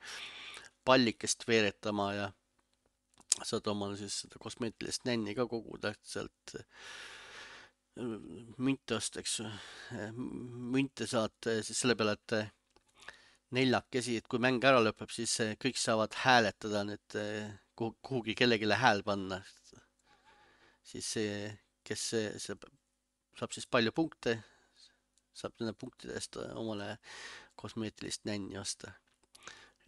pallikest veeretama ja saad omal siis seda kosmeetilist nänni ka koguda sealt münte osta, eks ju. Münte saad siis selle peale, et 4, et kui mäng ära lõpeb, siis kõik saavad hääletada nüüd kuhugi kellegile hääl panna. Siis see, kes saab siis palju punkte, saab nende punktide eest omale kosmeetilist nänni osta.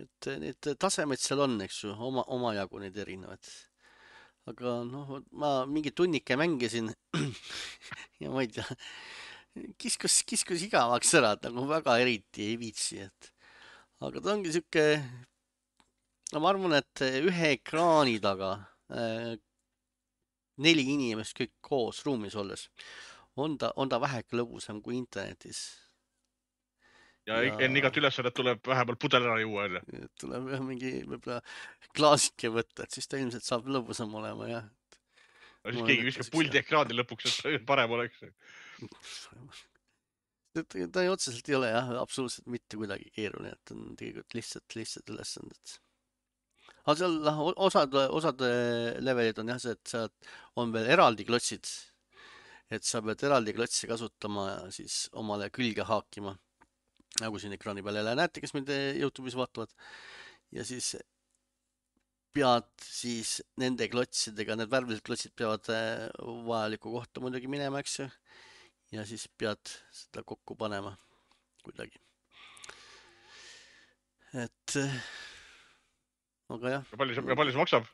Et need tasemed seal on, eks ju, omajagu neid erinevad. Aga noh, ma mingi tunnike mängisin ja ma ei tea, kiskus igavaks ära, et nagu väga eriti ei viitsi, et aga ta ongi siuke, no ma arvan, et ühe ekraani taga 4 inimest kõik koos ruumis olles on ta väheke lõbusam kui internetis. Ja enne igat ülesannet tuleb vähemalt pudel ära juua. Tuleb mingi võib-olla klaasike võtta, et siis ta ilmselt saab lõbusam olema, jah. Siis keegi viskab puldi ekraani lõpuks, et parem oleks. Ta otseselt ei ole jah, absoluutselt mitte kuidagi keeruline, et on tegelikult lihtsalt ülesanded. Aga seal osad levelid on jah see, et seal on veel eraldi klotsid, et sa pead eraldi klotsi kasutama ja siis omale külge haakima, nagu siin ekraani peal jälle näete, kes meid YouTube'is vaatavad. Ja siis pead siis nende klotsidega, need värvilised klotsid peavad vajalikku kohta muidugi minema, eks ju. Ja siis pead seda kokku panema kuidagi. Et aga jah. Ja palju see maksab?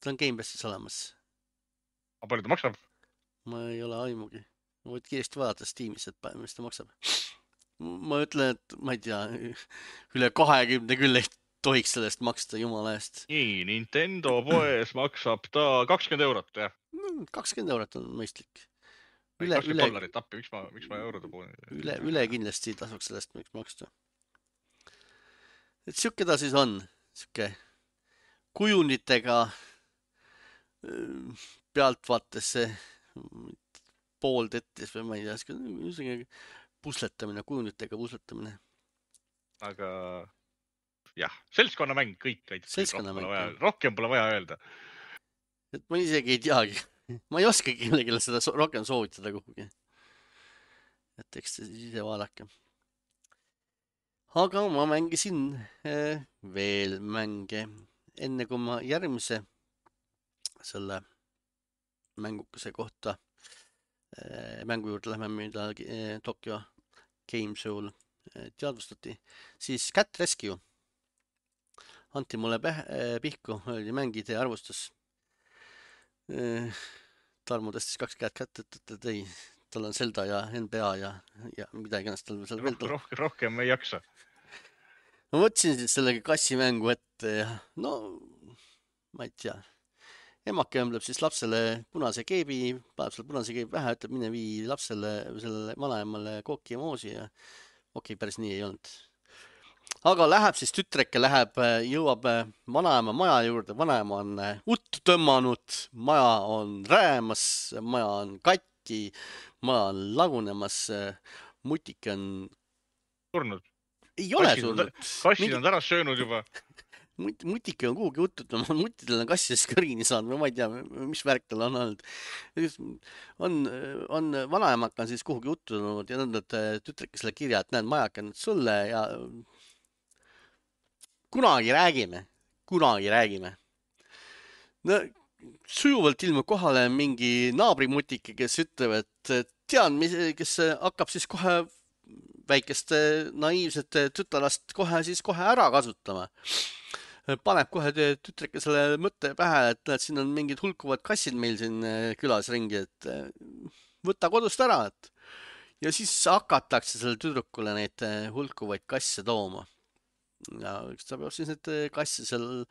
Ta on Gamepassis olemas. Aga palju ta maksab? Ma ei ole aimugi. Ma võid kiiresti vaadata Steamis, et mis ta maksab. Ma ütlen, et ma ei tea, üle 20 küll ei tohiks sellest maksta jumala eest. Nii, Nintendo poes maksab ta 20 €, jah? 20 € on mõistlik. $20 appi, miks ma eurode poole? Üle kindlasti tasuks sellest maksta. Et siuke ta siis on, siuke kujunditega pealtvaatesse pooltettis või ma ei tea, pusletamine, kujunditega pusletamine. Aga jah, seltskonnamäng kõik. Rohkem pole vaja öelda. Et ma isegi ei teagi. Ma ei oska kellelegi seda rohkem soovitada kuhugi. Et eks te ise vaadake. Aga ma mängisin veel mänge. Enne kui ma järgmise selle mängukese kohta mängu juurde lähme, mida Tokyo Game Show'l teadvustati, siis Cat Rescue anti mulle pihku, oli mängide arvustus. Tarmo tõstis 2 käed kätte, et ei, tal on Zelda ja NBA ja midagi ennast tal seal veel tuleb. Rohkem ei jaksa. Ma võtsin siis sellega kassimängu ette ja no, ma ei tea. Emake õmbleb siis lapsele punase keebi, paneb selle punase keebi pähe, ütleb mine vii lapsele, sellele vanaemale kooki ja moosi ja okei, päris nii ei olnud. aga läheb siis tütreke, jõuab vanaema maja juurde, vanaema on uttu tõmmanud, maja on räämas, maja on katki, maja on lagunemas, mutike on, surnud. ei ole surnud. Kassid on ära söönud juba. Mutike on kuhugi uttu tõmmanud, mutidel on kassides kõrini saanud, ma ei tea, mis värk tal on olnud. On vanaemaka on siis kuhugi uttu tõmmanud ja nõndad tütreke selle kirja, et näed, majake on sulle ja kunagi räägime. No, sujuvalt ilmub kohale mingi naabrimutike, kes ütleb, et tean, kes hakkab siis kohe väikeste naiivsete tütarlast kohe ära kasutama. Paneb kohe tütreke selle mõtte pähe, et näed, siin on mingid hulkuvad kassid meil siin külas ringi, et võta kodust ära, et ja siis hakatakse selle tüdrukule neid hulkuvaid kasse tooma. Ja ta peab siis need kasse seal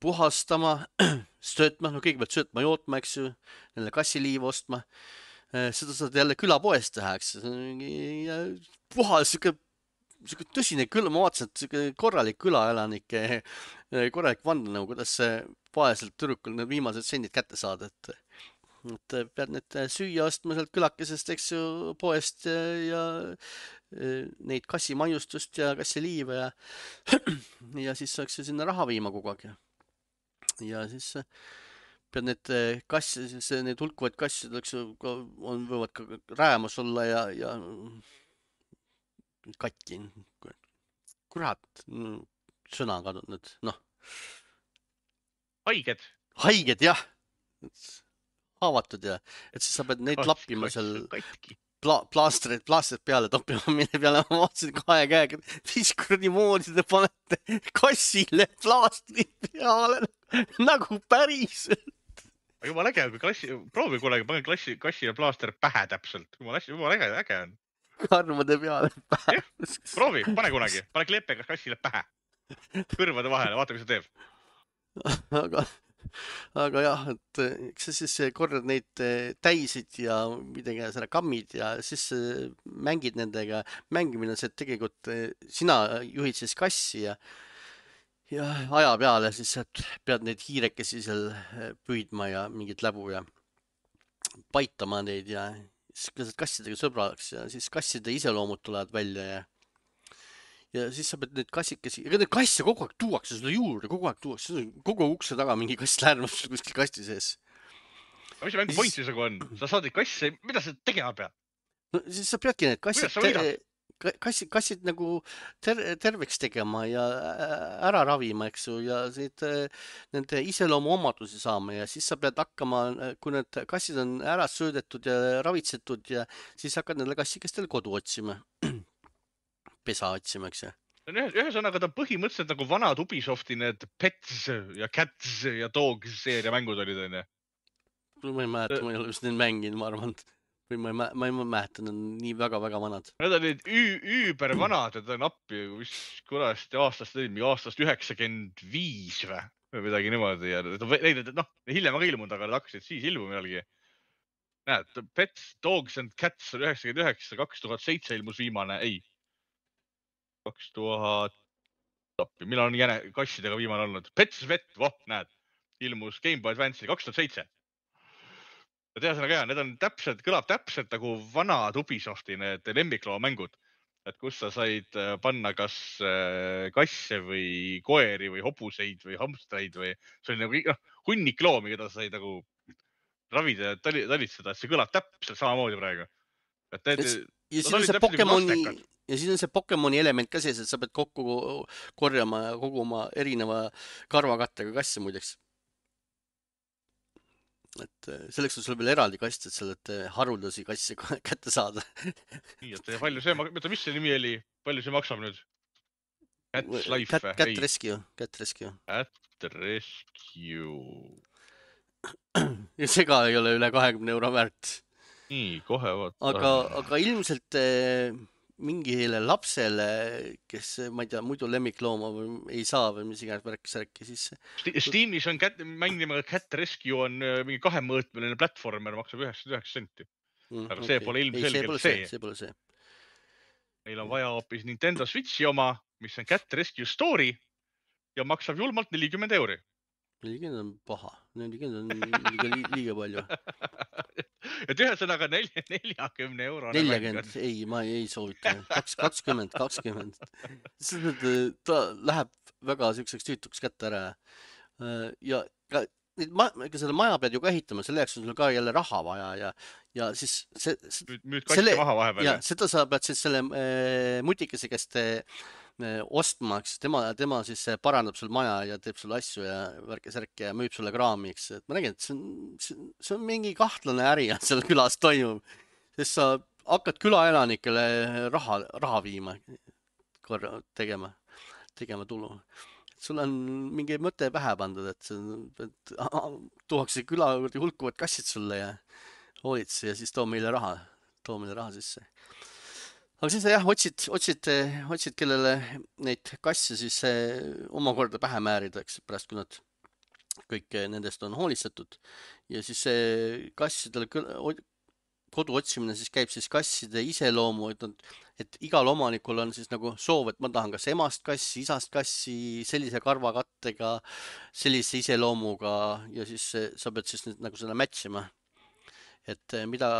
puhastama, söötma, no kõigepealt söötma, jootma, eks ju, neile kassiliiva ostma. Seda saad jälle külapoest teha, eks. Ja puhas, siuke tõsine küla, ma vaatasin, et siuke korralik külaelanike, korralik vandenõu, kuidas vaeselt tüdrukul need viimased sendid kätte saada, et pead need süüa ostma sealt külakesest, eks ju, poest ja neid kassimaiustust ja kassiliiva ja siis saaks sinna raha viima kogu aeg. Ja siis pead need kasse, need hulkuvaid kassid, eks ju, võivad ka räämas olla ja katki. Kurat, sõna kadunud nüüd, noh. Haiged, jah. Haavatud ja, et siis sa pead neid lappima seal plaastrid peale toppima, mille peale ma vaatasin 2 käega, 5 kuradi moodi te panete kassile plaastrid peale nagu päriselt. Jumala äge, proovi kunagi, pane kassile plaaster pähe täpselt. Jumala äge on. Karvade peale pähe. Proovi, pane kunagi, pane kleepega kassile pähe. Kõrvade vahele, vaata, mis see teeb. Aga jah, et eks sa siis korrad neid täisid ja midagi selle kammid ja siis mängid nendega. Mängimine on see, et tegelikult sina juhid siis kassi ja aja peale siis pead neid hiirekesi seal püüdma ja mingit läbu ja paitama neid ja siis saad kassidega sõbraks ja siis kasside iseloomud tulevad välja ja siis sa pead neid kassikesi, ega neid kasse kogu aeg tuuakse sulle juurde, kogu ukse taga mingi kass lärmab kuskil kasti sees. Mis see mängu point siis nagu on? Sa saad neid kasse, mida sa tegema pead? No siis sa peadki need kassid nagu terveks tegema ja ära ravima, eks ju, ja nende iseloomu omadusi saama ja siis sa pead hakkama, kui need kassid on ära söödetud ja ravitsetud ja siis hakkad nendele kassikestele kodu otsima. Pesa otsima, eks ju. Ühesõnaga ta põhimõtteliselt nagu vanad Ubisofti need Pets ja Cats ja Dogs seeria mängud olid, on ju? Ma ei mäleta, ma ei ole just neid mänginud, ma arvan. Või ma ei mäleta, need on nii väga-väga vanad. Need olid üüber vanad, et on appi, mis kurast aastast olid, aastast 95 või midagi niimoodi. Ja hiljem aga ilmunud, aga nad hakkasid siis ilmuma jällegi. Näed, Pets, Dogs and Cats on 99, 2007 ilmus viimane, ei. 2000, millal on kassidega viimane olnud? Pets Vet, näed, ilmus Game Boy Advance'i 2007. Ja tehasõnaga jah, need on kõlab täpselt nagu vanad Ubisofti need lemmikloo mängud, et kus sa said panna kas kasse või koeri või hobuseid või hamstreid või see oli nagu hunnik loomi, keda sa said nagu ravida ja talitseda, et see kõlab täpselt samamoodi praegu. Ja siis on see Pokemoni element ka sees, et sa pead kokku korjama ja koguma erineva karvakattega kasse muideks. Et selleks on sul veel eraldi kast, et sellelt haruldasi kasse kätte saada. Nii, et palju see, mis see nimi oli? Palju see maksab nüüd? Cat's Life? Cat Rescue. Cat Rescue. Ja see ka ei ole üle 20 euro väärt. Nii, kohe vaata. Aga ilmselt mingile lapsele, kes, ma ei tea, muidu lemmiklooma ei saa või mis iganes värk-särki, siis... Steamis on mäng nimega Cat Rescue on mingi 2-mõõtmeline platformer, maksab 99 senti. Aga see pole ilmselgelt see. See pole see. Meil on vaja hoopis Nintendo Switchi oma, mis on Cat Rescue Story ja maksab julmalt 40 €. 40 on paha, 40 on liiga palju. Et ühesõnaga 40 eurone mäng 40, on. ei, ma ei soovita. 20. Ta läheb väga siukseks tüütuks kätte ära. Ja ka selle maja pead ju ka ehitama, selle jaoks on sul ka jälle raha vaja ja siis Müüd kasse maha vahepeal. Ja seda sa pead siis selle mutikese käest ostma, eks tema siis parandab sul maja ja teeb sulle asju ja värke-särke ja müüb sulle kraami, eks. Et ma nägin, et see on mingi kahtlane äri seal külas toimub, sest sa hakkad külaelanikele raha viima, tegema tulu. Sul on mingi mõte pähe pandud, et tuuakse küla juurde hulkuvad kassid sulle ja hoolitse ja siis too meile raha sisse. Aga siis jah, otsid, kellele neid kasse siis omakorda pähe määrida, eks, pärast kui nad kõik nendest on hoolitsetud. Ja siis see kassidele kodu otsimine siis käib siis kasside iseloomu, et igal omanikul on siis nagu soov, et ma tahan kas emast kassi, isast kassi, sellise karvakattega, sellise iseloomuga ja siis sa pead siis nagu seda matchima. Et mida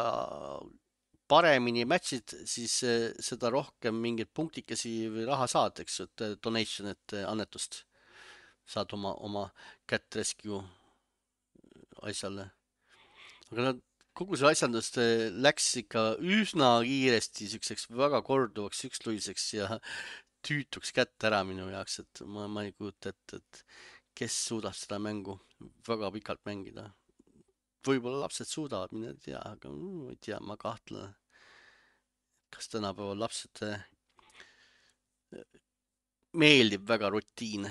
paremini matchid, siis seda rohkem mingeid punktikesi või raha saad, eks, et donation, et annetust saad oma Cat Rescue asjale. Aga kogu see asjandus läks ikka üsna kiiresti siukseks väga korduvaks üksluiseks ja tüütuks kätte ära minu jaoks, et ma ei kujuta ette, et kes suudab seda mängu väga pikalt mängida. Võib-olla lapsed suudavad, mina ei tea, aga ei tea, ma kahtlen. Kas tänapäeval lapsed meeldib väga rutiin.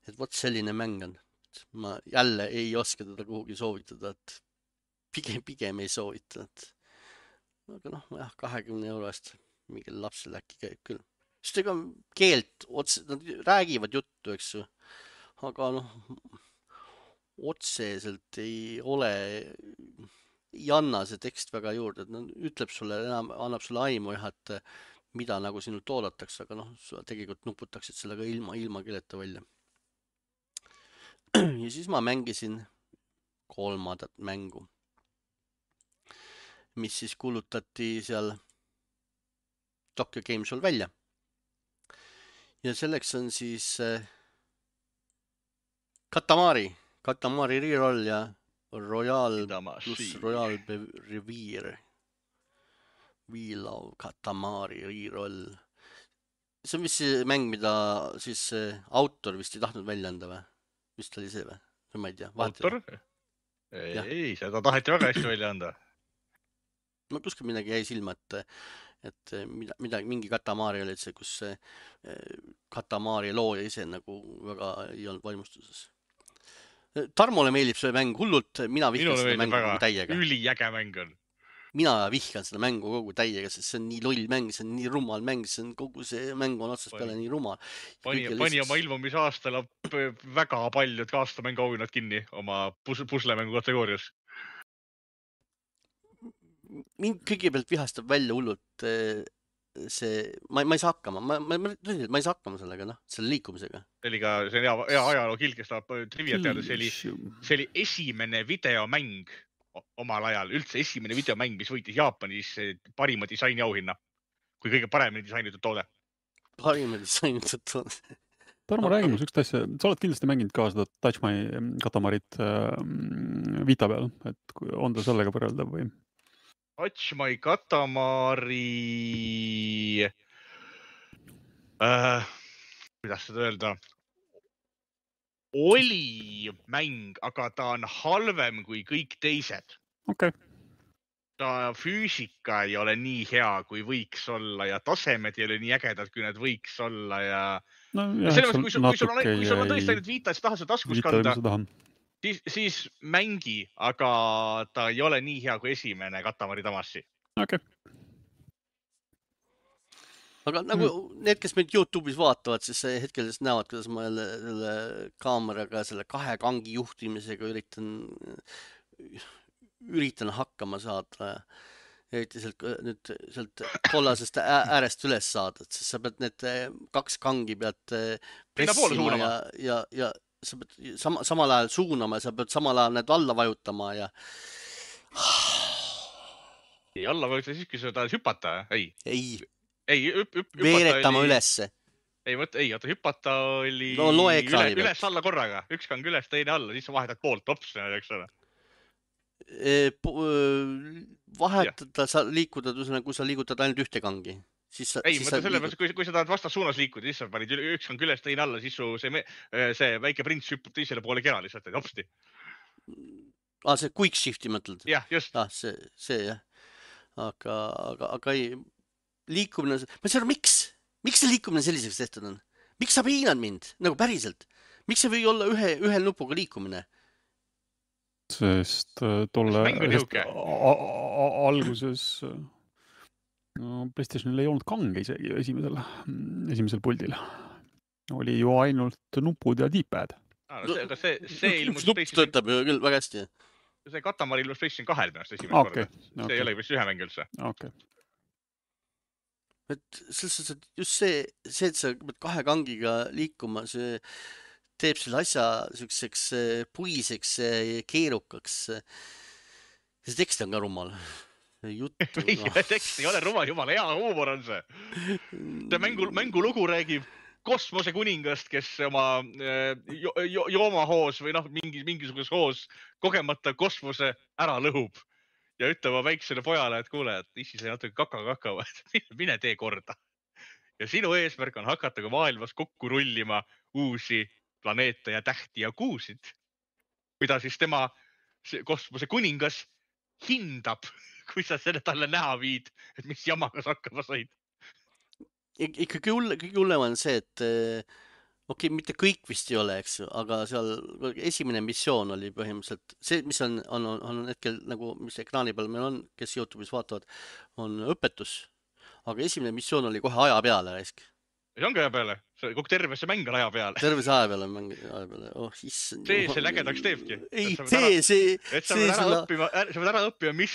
Et vot selline mäng on. Ma jälle ei oska teda kuhugi soovitada, et pigem ei soovita. Aga noh, jah, 20 € eest mingil lapsel äkki käib küll. Sest ega keelt, nad räägivad juttu, eks ju. Aga noh, otseselt ei anna see tekst väga juurde, et ütleb sulle, annab sulle aimu jah, et mida nagu sinult oodatakse, aga noh, tegelikult nuputaksid sellega ilma keeleta välja. Ja siis ma mängisin 3. mängu, mis siis kuulutati seal Tokyo Game Show'l välja. Ja selleks on siis Katamari Reroll ja Royal plus Royal Reverie. Wheel of Katamari Reroll. See on vist see mäng, mida siis autor vist ei tahtnud välja anda või? Vist oli see või? Ma ei tea. Autor? Ei, seda taheti väga hästi välja anda. Ma kuskil midagi jäi silma, et mingi Katamari oli see, kus Katamari looja ise nagu väga ei olnud vaimustuses. Tarmole meeldib see mäng hullult, mina vihkan seda mängu kogu täiega. Üliäge mäng on. Mina vihkan seda mängu kogu täiega, sest see on nii loll mäng, see on nii rumal mäng, kogu see mäng on otsast peale nii rumal. Pani oma ilmumise aastal väga paljud aastamängu auhinnad kinni oma puslemängu kategoorias. Mind kõigepealt vihastab välja hullult see, ma ei saa hakkama, ma ei saa hakkama sellega, selle liikumisega. See on hea ajaloo kild, kes tahab triviat teada, see oli esimene videomäng omal ajal, üldse esimene videomäng, mis võitis Jaapanis parima disaini auhinna, kui kõige paremini disainitud toode. Parima disainitud toode. Tarmo, räägi mulle sükst asja, sa oled kindlasti mänginud ka seda Touch My Katamarit Vita peal, et on ta sellega võrreldav või? Touch My Katamari kuidas seda öelda? Oli mäng, aga ta on halvem kui kõik teised. Okay. Ta füüsika ei ole nii hea, kui võiks olla ja tasemed ei ole nii ägedad, kui need võiks olla ja selles mõttes, kui sul on tõesti ainult Vita, et sa tahad seda taskus kanda, siis mängi, aga ta ei ole nii hea kui esimene Katamari Damacy. Okay. Aga nagu need, kes meid YouTube'is vaatavad, siis hetkel näevad, kuidas ma selle kaameraga, selle 2 kangi juhtimisega üritan hakkama saada. eriti nüüd sealt kollasest äärest üles saada, et siis sa pead need 2 kangi pead Sinnapoole pressima suunama. ja sa pead samal ajal suunama ja sa pead samal ajal need alla vajutama ja Ei, alla võiks siis, kui sa tahad hüpata. ei, Hüpata veeretama oli... ülesse. Oota, hüpata oli No loe ekraani pealt. üles alla korraga. Üks kang üles, teine alla, siis sa vahetad poolt tops, eks ole. Vahetada, sa liikuda, kui sa liigutad ainult ühte kangi. Mõtle selle peale, kui sa tahad vastas suunas liikuda, siis sa panid üks kang üles, teine alla, siis see väike prints hüppab teisele poole kera lihtsalt, et hopsti. See quick shifti mõtled? Jah, just. See jah. Aga ei, liikumine, ma ei saa aru, miks see liikumine selliseks tehtud on? Miks sa piinad mind? Nagu päriselt? Miks see või olla ühel nupuga liikumine? Sest tolle alguses PlayStationil ei olnud kange isegi esimesel puldil. Oli ju ainult nupud ja D-pad. See ilmus nupp töötab ju küll väga hästi. See Katamari ilmus PlayStation 2 pärast esimest korda. See ei ole vist ühe mäng üldse. Et just see, et sa pead 2 kangiga liikuma, see teeb selle asja selliseks puiseks ja keerukaks. See tekst on ka rumal. Tekst ei ole rumal, jumala hea huumor on see. Mängu lugu räägib kosmosekuningast, kes oma joomahoos või mingisuguses hoos kogemata kosmose ära lõhub ja ütleb väiksele pojale, et kuule, et issi sai natuke kaka, mine tee korda. Ja sinu eesmärk on hakata ka maailmas kokku rullima uusi planeete ja tähti ja kuusid, mida siis tema kosmose kuningas hindab, kui sa selle talle näha viid, et mis jamagas hakkama said. Ikkagi hullem on see, et mitte kõik vist ei ole, eks ju, aga seal esimene missioon oli põhimõtteliselt see, mis on hetkel nagu, mis ekraani peal meil on, kes YouTube'is vaatavad, on õpetus, aga esimene missioon oli kohe aja peale raisk. See ongi aja peale, kogu terve see mäng on aja peale. Terve see aja peale on mäng aja peale, issand. See lägedaks teebki. Sa pead ära õppima, mis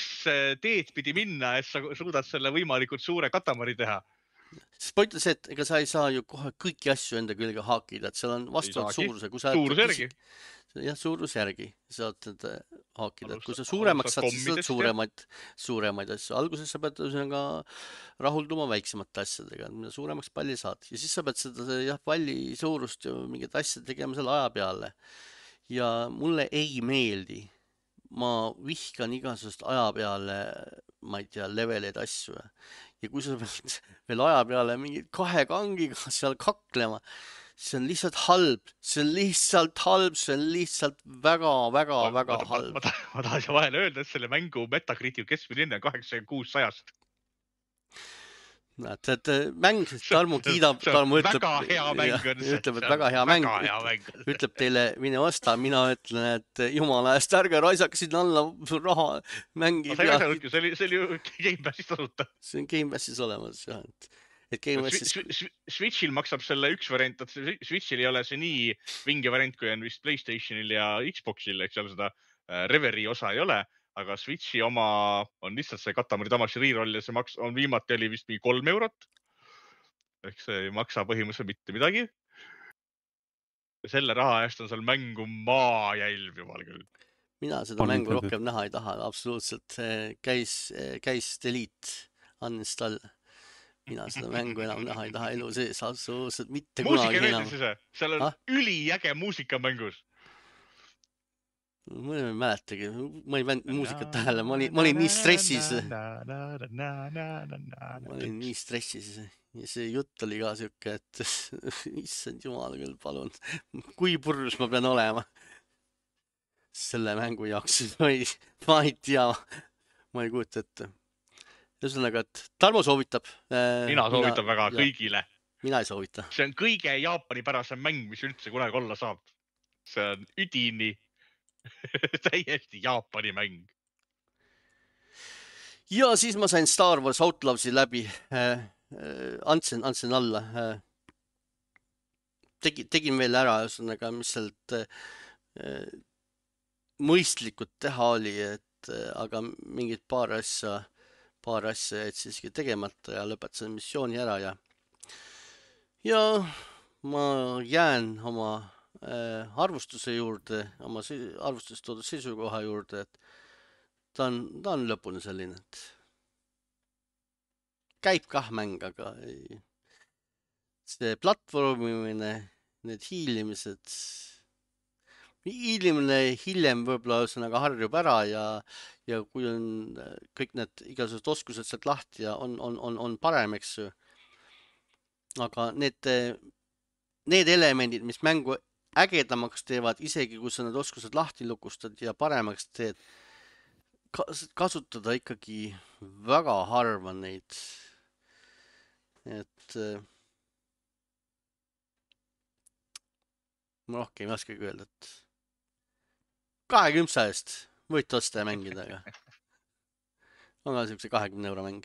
teed pidi minna, et sa suudad selle võimalikult suure katamari teha. Sest ma ütlen see, et ega sa ei saa ju kohe kõiki asju enda külge haakida, et seal on vastavalt suuruse. Suurusjärgi. Jah, suurusjärgi saad haakida. Kui sa suuremaks saad, siis saad suuremaid asju. Alguses sa pead rahulduma väiksemate asjadega, mida suuremaks palli saad. Ja siis sa pead seda palli suurust ja mingid asjad tegema selle aja peale. Ja mulle ei meeldi. Ma vihkan igasugust aja peale, ma ei tea, leveleid asju. Ja kui sa pead veel aja peale mingid 2 kangiga seal kaklema, see on lihtsalt halb. See on lihtsalt väga halb. Ma tahan siia vahele öelda, et selle mängu Metacritic keskmine hinne on 86/100. Näed, mäng, Tarmo kiidab, Tarmo ütleb, et väga hea mäng, ütleb teile, mine osta, mina ütlen, et jumala eest, ärge raisake sinna alla raha mängi. See oli ju Game Passis tasuta. See on Game Passis olemas, jah. Switchil maksab selle üks variant, et Switchil ei ole see nii vinge variant, kui on vist PlayStationil ja Xboxil, ehk seal seda Reverie osa ei ole. Aga Switchi oma on lihtsalt see Katamari Damacy reroll ja see on viimati oli vist mingi 3 eurot. Ehk see ei maksa põhimõtteliselt mitte midagi. Ja selle raha eest on seal mängu maajälv jumal küll. Mina seda mängu rohkem näha ei taha, absoluutselt. Käis delete, uninstall. Mina seda mängu enam näha ei taha elu sees, absoluutselt mitte kunagi enam. Seal on üliäge muusika mängus. Ma ei mäletagi, ma ei pannud muusikat tähele, ma olin nii stressis. Ja see jutt oli ka siuke, et issand jumal küll, palun, kui purjus ma pean olema selle mängu jaoks, ma ei tea, ma ei kujuta ette. Ühesõnaga, et Tarmo soovitab. Mina soovitan väga kõigile. Mina ei soovita. See on kõige Jaapani pärasem mäng, mis üldse kunagi olla saab. See on üdini täiesti Jaapani mäng. Ja siis ma sain Star Wars Outlawsi läbi. Andsin alla. Tegin veel ära, ühesõnaga, mis sealt mõistlikult teha oli, aga mingid paar asja paar asja jäid siiski tegemata ja lõpetasin missiooni ära ja ma jään oma arvustuse juurde, oma arvustuses toodud seisukoha juurde, et ta on lõpuni selline, et käib kah mäng, aga see platvormimine, need hiilimine hiljem võib-olla ühesõnaga harjub ära ja kui on kõik need igasugused oskused sealt lahti ja on parem, eks ju. Aga need elemendid, mis mängu ägedamaks teevad, isegi kui sa need oskused lahti lukustad ja paremaks teed, kasutada ikkagi väga harva neid. Et ma rohkem ei oskagi öelda, et 20 eest võite osta ja mängida, aga on ka siukse 20 euro mäng.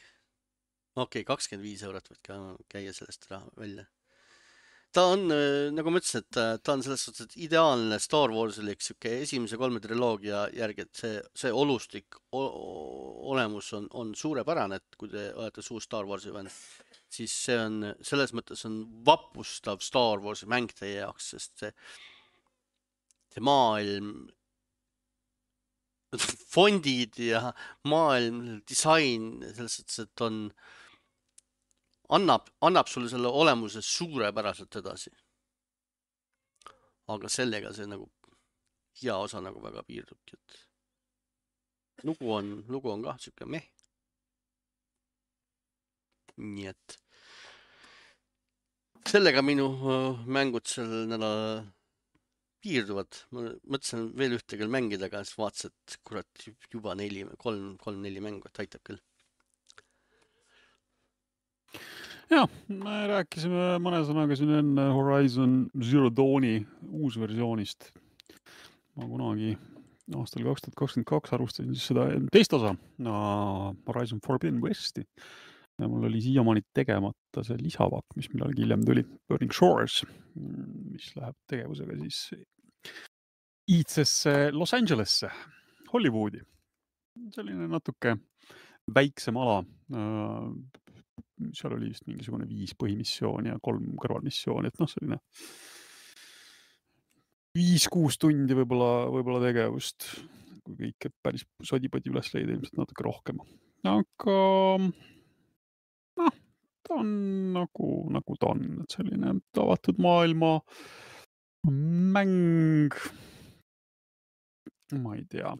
Okei, 25 eurot võid ka käia sellest raha välja. Ta on, nagu ma ütlesin, et ta on selles suhtes ideaalne Star Warsilik siuke esimese 3 triloogia järgi, et see olustik olemus on suurepärane, et kui te olete suur Star Warsi fänn, siis see on, selles mõttes on vapustav Star Warsi mäng teie jaoks, sest see maailm, fondid ja maailm, disain, selles suhtes, et annab sulle selle olemuse suurepäraselt edasi. Aga sellega see nagu hea osa nagu väga piirdubki, et lugu on kah siuke meh. Nii et sellega minu mängud sel nädalal piirduvad. Ma mõtlesin veel ühte küll mängida, aga siis vaatasin, et kurat juba 3-4 mängu, et aitab küll. Ja, me rääkisime mõne sõnaga siin enne Horizon Zero Dawni uusversioonist. Ma kunagi aastal 2022 arvustasin siis seda teist osa, Horizon Forbidden Westi. Ja mul oli siiamaani tegemata see lisavak, mis millalgi hiljem tuli, Burning Shores, mis läheb tegevusega siis iidsesse Los Angelesse, Hollywoodi. Selline natuke väiksem ala. Seal oli vist mingisugune 5 põhimissiooni ja 3 kõrvalmissiooni, et selline 5-6 tundi võib-olla tegevust, kui kõik päris sodipodi üles leida, ilmselt natuke rohkem. Aga ta on nagu ta on, et selline avatud maailma mäng, ma ei tea.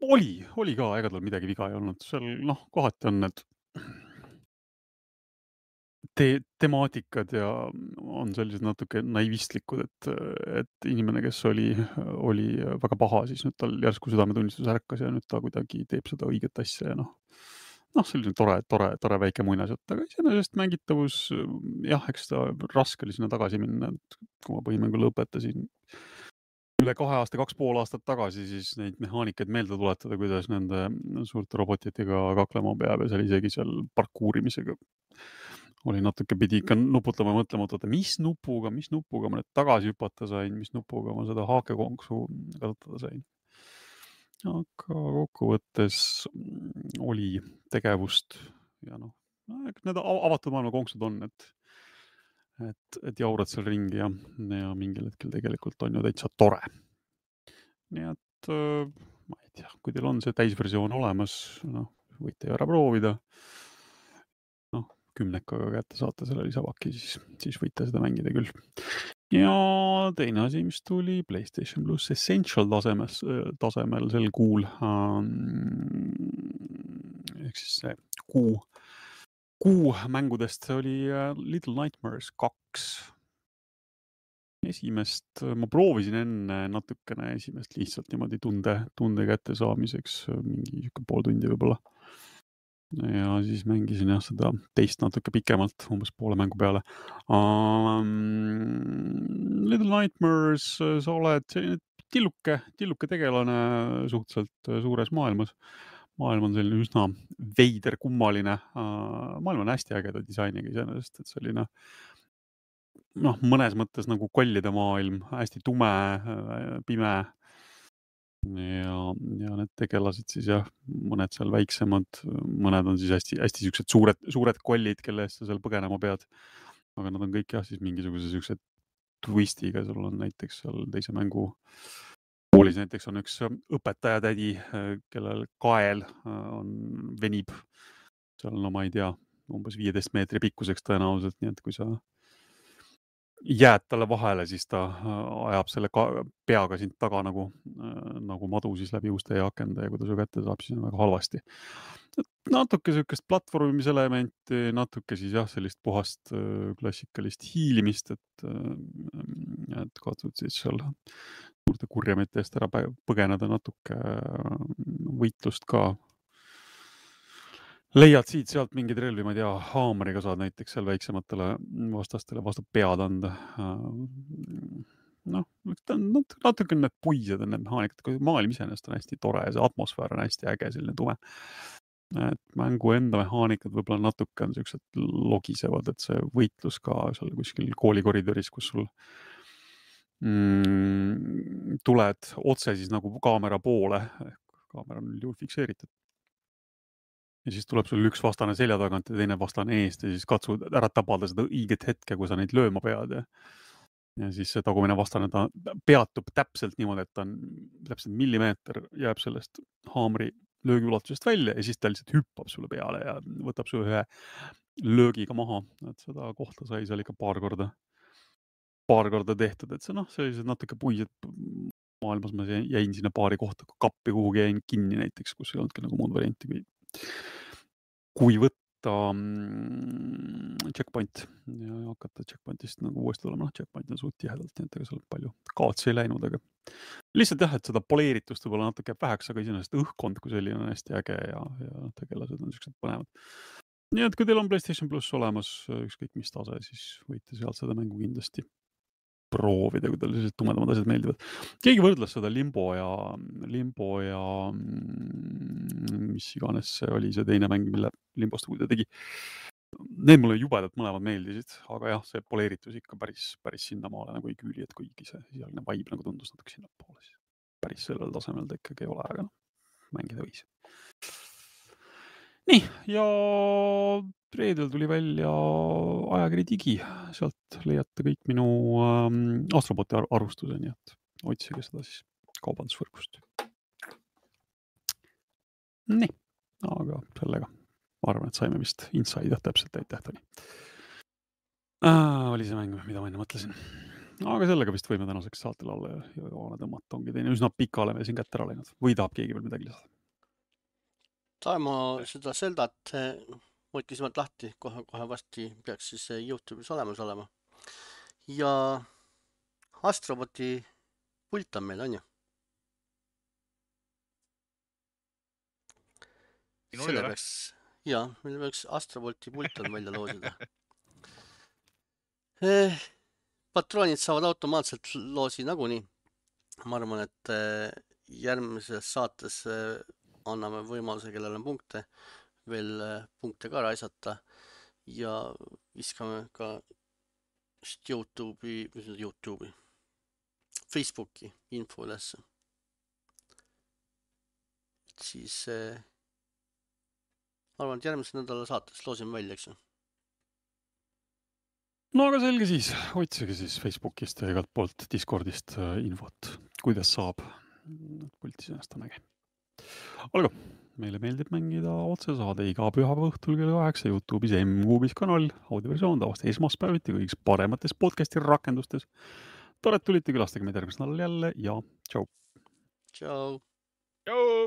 Oli ka, ega tal midagi viga ei olnud. Seal kohati on need temaatikad ja on sellised natuke naivistlikud, et inimene, kes oli väga paha, siis nüüd tal järsku südametunnistus ärkas ja nüüd ta kuidagi teeb seda õiget asja ja selline tore väike muinasjutt, aga iseenesest mängitavus, jah, eks ta raske oli sinna tagasi minna, et kui ma põhimängu lõpetasin üle 2 aasta, 2,5 aastat tagasi, siis neid mehaanikaid meelde tuletada, kuidas nende suurte robotitega kaklema peab ja isegi seal parkuurimisega oli natuke pidi ikka nuputama ja mõtlema, et mis nupuga ma nüüd tagasi hüpata sain, mis nupuga ma seda haakekonksu kasutada sain. Aga kokkuvõttes oli tegevust ja need avatud maailma konksud on, et jaurad seal ringi ja mingil hetkel tegelikult on ju täitsa tore. Nii et ma ei tea, kui teil on see täisversioon olemas, võite ära proovida. 10 kätte saate selle lisavaki, siis võite seda mängida küll. Ja teine asi, mis tuli PlayStation Plus Essential tasemel sel kuul, ehk siis see kuu mängudest oli Little Nightmares 2. Esimest ma proovisin enne natukene esimest lihtsalt niimoodi tunde kätte saamiseks, mingi pool tundi võib-olla. Ja siis mängisin seda teist natuke pikemalt, umbes poole mängu peale. Little Nightmares, sa oled selline tilluke tegelane suhteliselt suures maailmas. Maailm on selline üsna veider, kummaline. Maailm on hästi ägeda disainiga iseenesest, et selline mõnes mõttes nagu kollide maailm, hästi tume, pime. ja need tegelased siis jah, mõned seal väiksemad, mõned on siis hästi siuksed suured kollid, kelle eest sa seal põgenema pead. Aga nad on kõik jah, siis mingisuguse siukse twistiga, sul on näiteks seal teise mängu koolis näiteks on üks õpetaja tädi, kellel kael venib seal, no ma ei tea, umbes 15 meetri pikkuseks tõenäoliselt, nii et kui sa jääd talle vahele, siis ta ajab selle peaga sind taga nagu madu siis läbi uste ja akende ja kui ta su kätte saab, siis on väga halvasti. Natuke sellist platvormimiselementi, natuke siis jah, sellist puhast klassikalist hiilimist, et katsud siis seal suurte kurjamete eest ära põgeneda, natuke võitlust ka. Leiad siit-sealt mingeid relvi, ma ei tea, haamriga saad näiteks seal väiksematele vastastele vastu pead anda. Noh, natuke need puised on need mehaanikad, kui maailm iseenesest on hästi tore ja see atmosfäär on hästi äge, selline tume. Et mängu enda mehaanikad võib-olla natuke on sellised logisevad, et see võitlus ka seal kuskil koolikoridoris, kus sul tuled otse siis nagu kaamera poole, kaamera on juhul fikseeritud. Ja siis tuleb sul üks vastane selja tagant ja teine vastane eest ja siis katsud ära tabada seda õiget hetke, kui sa neid lööma pead. Ja siis see tagumine vastane, ta peatub täpselt niimoodi, et ta on täpselt millimeeter, jääb sellest haamri löögi ulatusest välja ja siis ta lihtsalt hüppab sulle peale ja võtab su ühe löögiga maha. Et seda kohta sai seal ikka paar korda tehtud, et see sellised natuke puised maailmas ma jäin sinna paari kohta kappi kuhugi jäin kinni näiteks, kus ei olnudki nagu muud varianti kui võtta checkpoint ja hakata checkpointist nagu uuesti tulema. Checkpoint on suht tihedalt, nii et ega seal palju kaotsi ei läinud, aga lihtsalt jah, et seda poleeritust võib-olla natuke väheks, aga iseenesest õhkkond kui selline on hästi äge ja tegelased on sellised põnevad. Nii et kui teil on PlayStation Plus olemas, ükskõik mis tase, siis võite sealt seda mängu kindlasti proovida, kui teil sellised tumedamad asjad meeldivad. Keegi võrdles seda Limbo ja mis iganes see oli see teine mäng, mille Limbost ta tegi. Need mulle jubedalt mõlemad meeldisid, aga jah, see poleeritus ikka päris sinnamaale nagu ei küüli, et kuigi see sealne vibe nagu tundus natuke sinna poole, siis päris sellel tasemel ta ikkagi ei ole, aga mängida võis. Nii, ja reedel tuli välja ajakiri Digi, sealt leiate kõik minu Astroboti arvustuse, nii et otsige seda siis kaubandusvõrgust. Nii, aga sellega ma arvan, et saime vist inside täpselt tähtoni. Oli see mäng, mida ma enne mõtlesin. Aga sellega vist võime tänaseks saatele alla ja joone tõmmata, ongi teine üsna pika oleme siin kätte ära läinud. Või tahab keegi veel midagi lisada? Taimo seda Zeldat võttis sealt lahti, kohe vasti peaks siis YouTube'is olemas olema. Ja Astroboti pult on meil, on ju? Selle peaks, meil peaks Astroboti pult on välja loosida. Patroonid saavad automaatselt loosi nagunii. Ma arvan, et järgmises saates anname võimaluse, kellel on punkte, veel punkte ka raisata ja viskame ka YouTube'i, Facebooki info ülesse. Siis arvan, et järgmise nädala saates loosime välja, eks ju? No aga selge siis, otsige siis Facebookist ja igalt poolt Discordist infot, kuidas saab. Pultis ennast on äge. Olgu, meile meeldib mängida otsesaade iga pühapäeva õhtul kell 8 YouTube'is M-Kuubis kanal, audioversioon tavaliselt esmaspäeviti kõigis paremates podcasti rakendustes. Tore, et tulite, külastage meid järgmisel nädalal jälle ja tšau! Tšau! Tšau!